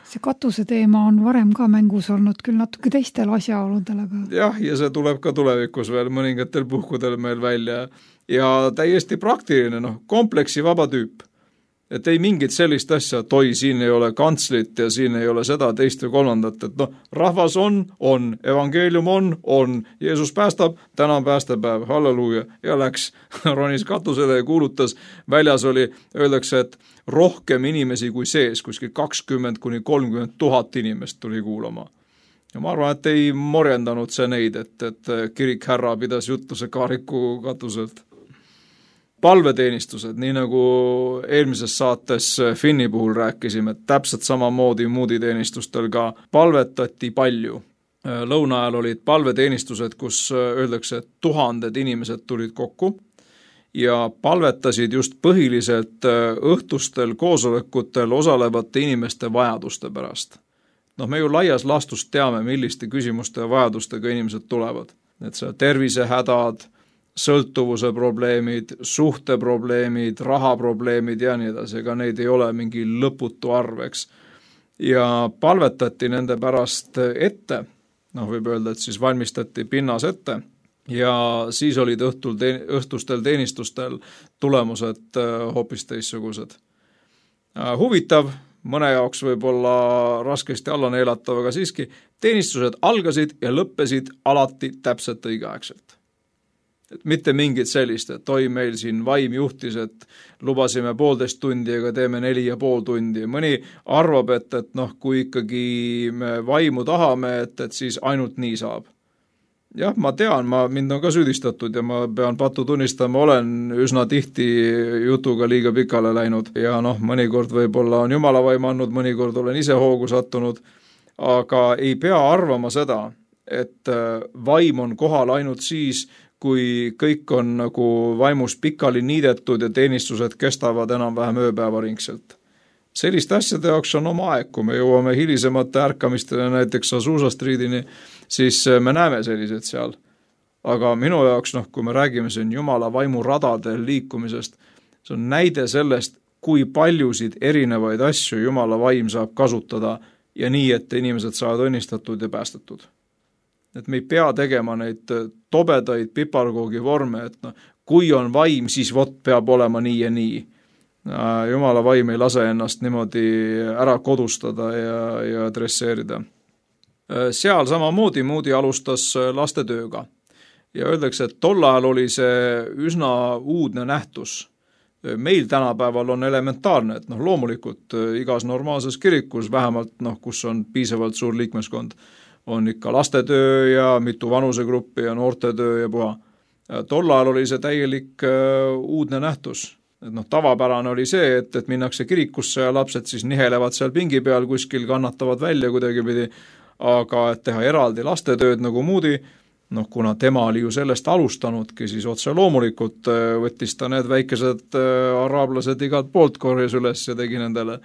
See katuse teema on varem ka mängus olnud küll natuke teistel asjaoludel, aga... Jah, ja see tuleb ka tulevikus veel mõningatel puhkudel meil välja. Ja täiesti praktiline, kompleksi vaba tüüp. Et ei mingit sellist asja, et oi, siin ei ole kantslit ja siin ei ole seda, teist või kolmandat, et rahvas on, evangeelium on, Jeesus päästab, täna on päästepäev, halleluuja, ja läks, ronis katusele ja kuulutas, väljas oli, öeldakse, et rohkem inimesi kui sees, kuskil 20–30 000 inimest tuli kuulama. Ja ma arvan, et ei morjendanud see neid, et kirik härra pidas jutluse kaariku katuselt. Palveteenistused, nii nagu eelmises saates Finni puhul rääkisime, et täpselt samamoodi Moody teenistustel ka palvetati palju. Lõuna ajal olid palveteenistused, kus öeldakse, et 1000 inimesed tulid kokku ja palvetasid just põhiliselt õhtustel koosolekutel osalevate inimeste vajaduste pärast. Me ju laias laastus teame, milliste küsimuste ja vajadustega inimesed tulevad. Et see tervisehädad, sõltuvuse probleemid, suhteprobleemid, rahaprobleemid ja nii edasi, ega neid ei ole mingi lõputu arveks. Ja palvetati nende pärast ette, võib öelda, et siis valmistati pinnas ette ja siis olid õhtustel teenistustel tulemused hoopis teissugused. Huvitav, mõne jaoks võib-olla raskesti alla neelatav, aga siiski teenistused algasid ja lõppesid alati täpselt õigeaegselt. Et mitte mingit sellist, et oi meil siin vaim juhtis, et lubasime 1,5 tundi, aga teeme 4,5 tundi. Mõni arvab, et kui ikkagi me vaimu tahame, et siis ainult nii saab. Jah, ma tean, mind on ka süüdistatud ja ma pean pattu tunnistama, olen üsna tihti jutuga liiga pikale läinud ja mõnikord võib-olla on Jumala vaim andnud, mõnikord olen ise hoogu sattunud, aga ei pea arvama seda, et vaim on kohal ainult siis, kui kõik on nagu vaimus pikali niidetud ja teenistused kestavad enam-vähem ööpäevaringselt. Selliste asjade jaoks on oma aeg, kui me jõuame hilisemate ärkamistele näiteks Azusa Streetini, siis me näeme sellised seal. Aga minu jaoks, kui me räägime siin Jumala vaimu radadel liikumisest, see on näide sellest, kui paljusid erinevaid asju Jumala vaim saab kasutada ja nii, et inimesed saavad õnnistatud ja päästetud. Et me ei pea tegema neid tobedaid piparkoogi vorme, et kui on vaim, siis peab olema nii ja nii. Jumala vaim ei lase ennast niimoodi ära kodustada ja adresseerida. Seal samamoodi Moody alustas lastetööga ja öeldakse, et tol ajal oli see üsna uudne nähtus. Meil tänapäeval on elementaarne, et loomulikult igas normaalses kirikus, vähemalt kus on piisavalt suur liikmeskond, on ikka lastetöö ja mitu vanusegruppi ja noortetöö ja puha. Tol ajal oli see täielik uudne nähtus. Et tavapärane oli see, et minnakse kirikusse ja lapsed siis nihelevad seal pingi peal, kuskil kannatavad välja kuidagipidi, aga et teha eraldi lastetööd nagu Moody, kuna tema oli ju sellest alustanudki, siis otse loomulikult võttis ta need väikesed araablased igalt poolt korjas üles ja tegi nendele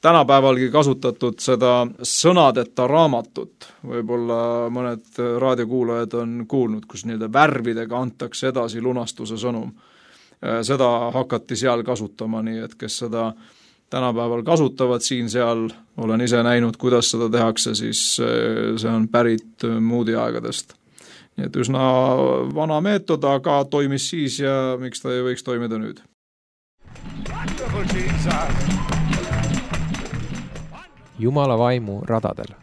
tänapäevalgi kasutatud seda sõnadeta raamatut. Võib-olla mõned raadiokuulajad on kuulnud, kus värvidega antakse edasi lunastuse sõnum. Seda hakati seal kasutama, nii et kes seda tänapäeval kasutavad siin-seal, olen ise näinud, kuidas seda tehakse, siis see on pärit Moody aegadest. Nii et üsna vana meetod, aga toimis siis ja miks ta ei võiks toimida nüüd? Jumala vaimu radadel.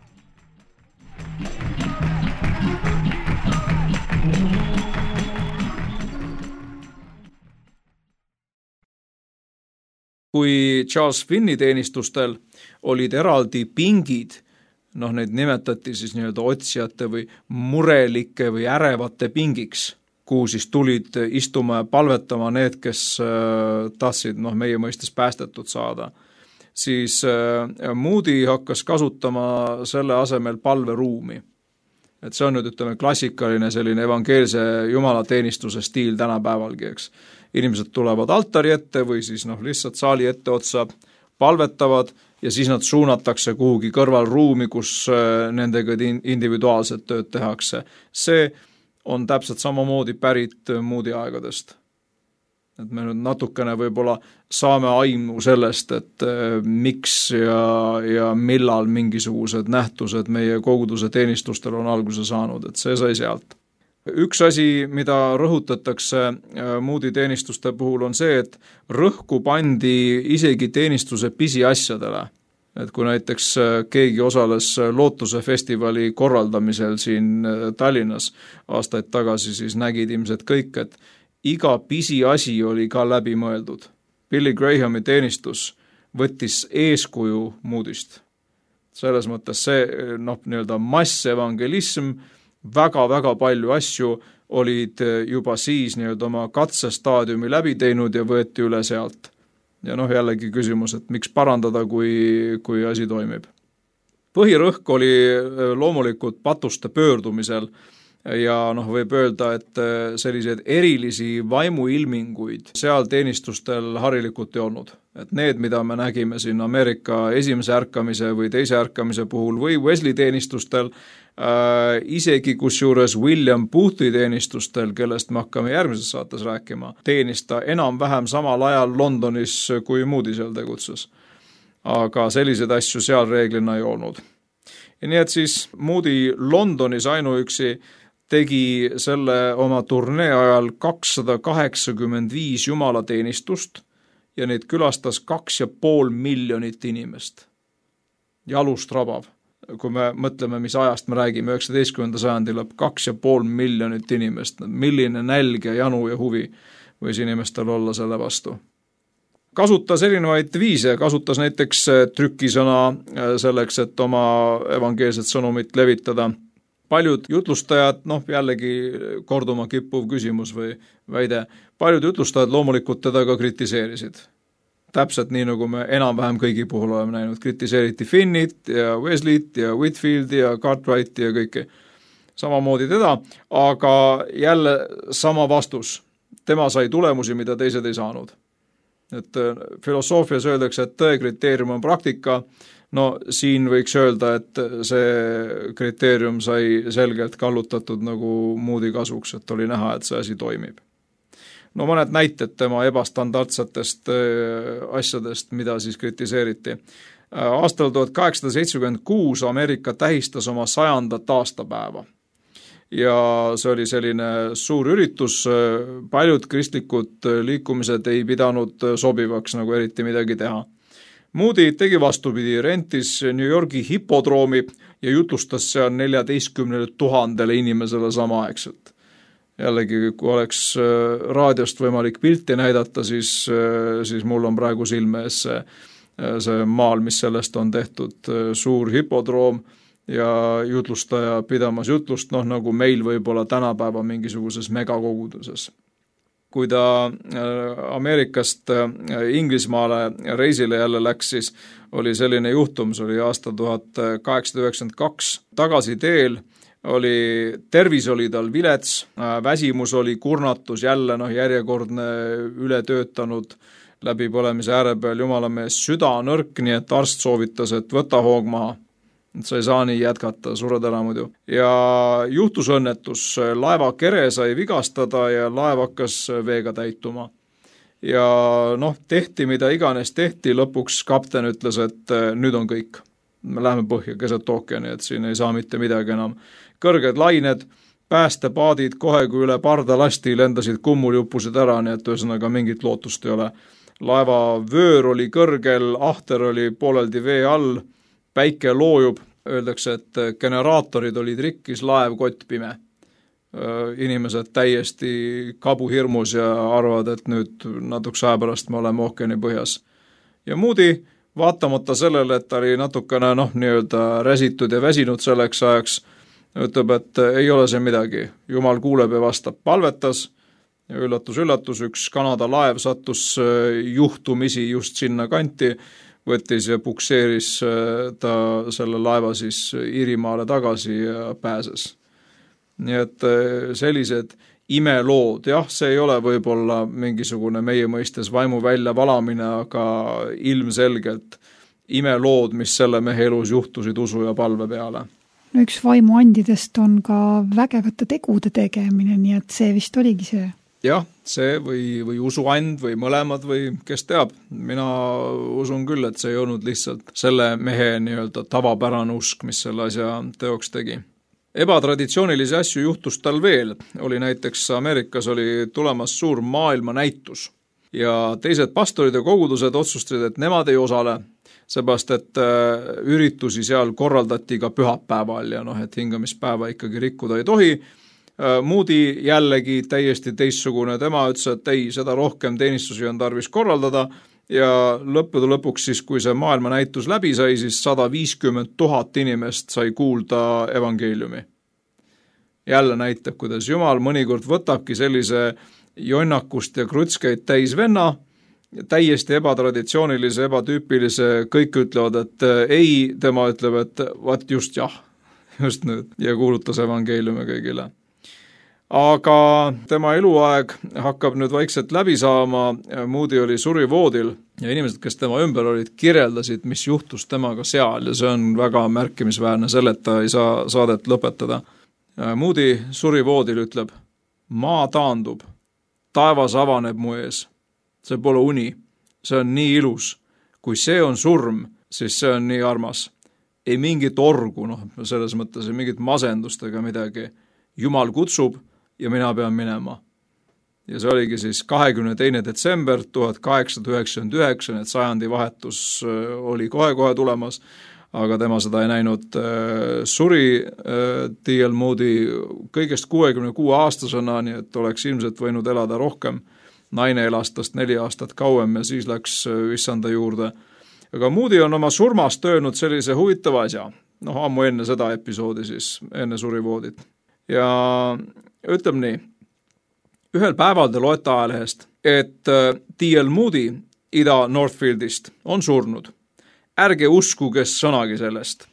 Kui Charles Finni teenistustel olid eraldi pingid, neid nimetati siis otsijate või murelike või ärevate pingiks, kuhu siis tulid istuma ja palvetama need, kes tahtsid meie mõistes päästetud saada. Siis Moody hakkas kasutama selle asemel palveruumi. Et see on nüüd klassikaline selline evangeelse jumalateenistuse stiil tänapäevalgi, eks. Inimesed tulevad altari ette või siis lihtsalt saali ette otsa, palvetavad ja siis nad suunatakse kuhugi kõrvalruumi, kus nendega individuaalset tööd tehakse. See on täpselt samamoodi pärit Moody aegadest. Et me nüüd natukene võib-olla saame aimu sellest, et miks ja millal mingisugused nähtused meie koguduse teenistustel on alguse saanud, et see sai sealt. Üks asi, mida rõhutatakse Moody teenistuste puhul on see, et rõhku pandi isegi teenistuse pisiasjadele. Et kui näiteks keegi osales Lootuse festivali korraldamisel siin Tallinnas aastaid tagasi, siis nägid ilmselt kõik, et iga pisiasi oli ka läbi mõeldud. Billy Grahami teenistus võttis eeskuju Moodyst. Selles mõttes see massevangelism, väga-väga palju asju olid juba siis oma katsestaadiumi läbi teinud ja võeti üle sealt. Ja jällegi küsimus, et miks parandada, kui asi toimib. Põhirõhk oli loomulikult patuste pöördumisel ja võib öelda, et selliseid erilisi vaimuilminguid seal teenistustel harilikult ei olnud. Et need, mida me nägime siin Ameerika esimese ärkamise või teise ärkamise puhul või Wesley teenistustel, isegi kusjuures William Boothi teenistustel, kellest me hakkame järgmises saates rääkima, teenista enam-vähem samal ajal Londonis, kui Moody seal tegutses. Aga selliseid asju seal reeglina ei olnud. Ja nii et siis Moody Londonis ainuüksi tegi selle oma turnee ajal 285 jumalateenistust ja neid külastas 2,5 miljonit inimest. Jalust rabav. Kui me mõtleme, mis ajast me räägime, 19. sajandi lõpp, 2,5 miljonit inimest, milline nälg ja janu ja huvi võis inimestel olla selle vastu. Kasutas erinevaid viise, kasutas näiteks trükisõna selleks, et oma evangeelset sõnumit levitada. Paljud jutlustajad, jällegi korduma kippuv küsimus või väide, paljud jutlustajad loomulikult teda ka kritiseerisid. täpselt nii, nagu me enam-vähem kõigi puhul oleme näinud. Kritiseeriti Finnit ja Wesleyt ja Whitfieldi ja Cartwrighti ja kõike samamoodi teda, aga jälle sama vastus. Tema sai tulemusi, mida teised ei saanud. Et filosoofias öeldakse, et tõe kriteerium on praktika. No siin võiks öelda, et see kriteerium sai selgelt kallutatud nagu Moody kasuks, et oli näha, et see asi toimib. No mõned näited tema ebastandardsetest asjadest, mida siis kritiseeriti. Aastal 1876 Ameerika tähistas oma 100. aastapäeva. Ja see oli selline suur üritus, paljud kristlikud liikumised ei pidanud sobivaks nagu eriti midagi teha. Moody tegi vastupidi, rentis New Yorgi hipodroomi ja jutlustas seal 14 000 inimesele samaaegselt. Jällegi, kui oleks raadiost võimalik pilti näidata, siis mul on praegu silme ees see maal, mis sellest on tehtud, suur hipodroom ja jutlustaja pidamas jutlust, nagu meil võib-olla tänapäeva mingisuguses megakoguduses. Kui ta Ameerikast Inglismaale reisile jälle läks, siis oli selline juhtum, see oli aasta 1892, tagasi teel tervis oli tal vilets, väsimus oli kurnatus, jälle järjekordne ületöötanud läbipõlemise ääre peal, jumala mees, süda nõrk, nii et arst soovitas, et võta hoog maha. Sa ei saa nii jätkata, sured ära muidu. Ja juhtus õnnetus, laeva kere sai vigastada ja laev hakkas veega täituma. Ja tehti mida iganes tehti, lõpuks kapten ütles, et nüüd on kõik. Me läheme põhja keset ookeani, et siin ei saa mitte midagi enam. Kõrged lained, päästepaadid kohe kui üle parda lasti lendasid kummuljupusid ära, nii et ühesõnaga mingit lootust ei ole. Laeva vöör oli kõrgel, ahter oli pooleldi vee all, päike loojub, öeldakse, et generaatorid olid rikkis, laev kott pime. Inimesed täiesti kabuhirmus ja arvavad, et nüüd natukese aja pärast me oleme ookeani põhjas. Ja Moody, vaatamata sellele, et ta oli natukene nii-öelda räsitud ja väsinud selleks ajaks, ütleb, et ei ole see midagi. Jumal kuuleb ja vastab, palvetas ja üllatus, üks Kanada laev sattus juhtumisi just sinna kanti, võttis ja pukseeris ta selle laeva siis Iirimaale tagasi ja pääses. Nii et sellised imelood, jah, see ei ole võib-olla mingisugune meie mõistes vaimu välja valamine, aga ilmselgelt imelood, mis selle mehe elus juhtusid usu ja palve peale. No üks vaimuandidest on ka vägevate tegude tegemine, nii et see vist oligi see. Jah, see või usuand või mõlemad või kes teab. Mina usun küll, et see ei olnud lihtsalt selle mehe nii-öelda tavapärane usk, mis selle asja teoks tegi. Ebatraditsioonilisi asju juhtus tal veel. Oli näiteks Ameerikas oli tulemas suur maailmanäitus ja teised pastorid ja kogudused otsustasid, et nemad ei osale, seepärast, et üritusi seal korraldati ka pühapäeval ja et hingamispäeva ikkagi rikkuda ei tohi. Moody jällegi täiesti teistsugune, tema ütles, et ei, seda rohkem teenistusi on tarvis korraldada ja lõppude lõpuks siis, kui see maailmanäitus läbi sai, siis 150 000 inimest sai kuulda evangeeliumi. Jälle näitab, kuidas Jumal mõnikord võtabki sellise jonnakust ja krutskeid täis venna, täiesti ebatraditsioonilise, ebatüüpilise, kõik ütlevad, et ei, tema ütleb, et vaat just jah, just nüüd ja kuulutas evangeeliumi kõigile. Aga tema eluaeg hakkab nüüd vaikselt läbi saama, Moody oli surivoodil ja inimesed, kes tema ümber olid, kirjeldasid, mis juhtus temaga seal ja see on väga märkimisväärne, selleta ei saa saadet lõpetada. Moody surivoodil ütleb, maa taandub, taevas avaneb mu ees, see pole uni, see on nii ilus, kui see on surm, siis see on nii armas. Ei mingit orgu, selles mõttes ei mingit masendust ega midagi, Jumal kutsub ja mina pean minema. Ja see oligi siis 22. detsember 1899, et sajandi vahetus oli kohe tulemas, aga tema seda ei näinud. Suri D.L. Moody kõigest 66 aastasena, nii et oleks ilmselt võinud elada rohkem. Naine elas tast 4 aastat kauem ja siis läks issanda juurde. Aga Moody on oma surmast öelnud sellise huvitava asja. Ammu enne seda episoodi siis, enne surivoodit. Ja ütleb nii, ühel päeval te loete ajalehest, et D.L. Moody Ida-Northfieldist on surnud. Ärge uskuge sõnagi sellest.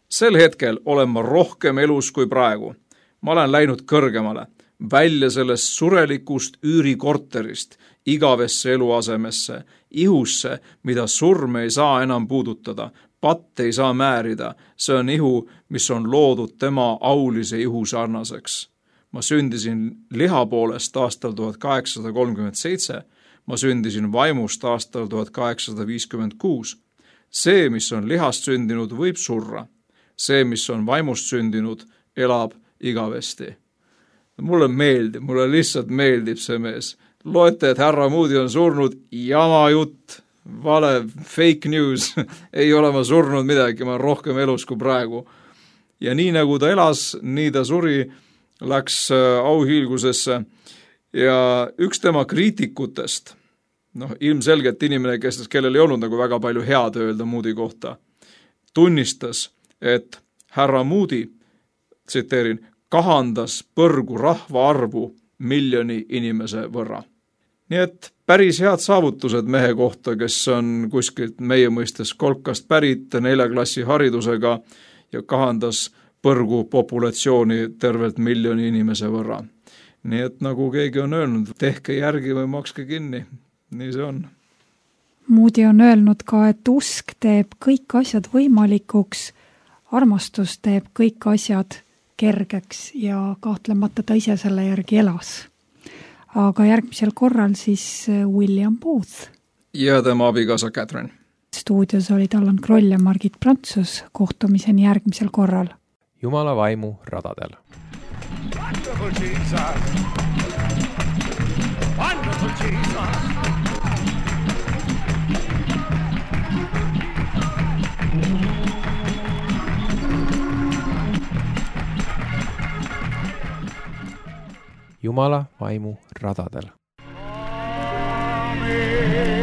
Sel hetkel olen ma rohkem elus kui praegu. Ma olen läinud kõrgemale, välja sellest surelikust üürikorterist, igavesse eluasemesse, ihusse, mida surm ei saa enam puudutada, patt ei saa määrida, see on ihu, mis on loodud tema aulise ihu sarnaseks. Ma sündisin liha poolest aastal 1837, ma sündisin vaimust aastal 1856. See, mis on lihast sündinud, võib surra. See, mis on vaimust sündinud, elab igavesti. Mulle lihtsalt meeldib see mees. Loete, et härra Moody on surnud, jama jutt, vale, fake news, ei ole ma surnud midagi, ma olen rohkem elus kui praegu. Ja nii nagu ta elas, nii ta suri, läks auhiilgusesse ja üks tema kriitikutest, ilmselgelt inimene, kellel ei olnud nagu väga palju head öelda Moody kohta, tunnistas, et härra Moody, tsiteerin, kahandas põrgu rahva arvu 1 miljoni inimese võrra. Nii et päris head saavutused mehe kohta, kes on kuskilt meie mõistes kolkast pärit 4 klassi haridusega ja kahandas põrgu populatsiooni tervelt 1 miljoni inimese võrra. Nii et nagu keegi on öelnud, tehke järgi või makske kinni. Nii see on. Moody on öelnud ka, et usk teeb kõik asjad võimalikuks, armastus teeb kõik asjad kergeks ja kahtlemata ta ise selle järgi elas. Aga järgmisel korral siis William Booth. Ja tema abikaasa Catherine. Stuudios olid Allan Kroll ja Margit Prantsus. Kohtumiseni järgmisel korral. Jumala vaimu radadel. Wonderful Jesus. Wonderful Jesus. Jumala vaimu radadel. Amen.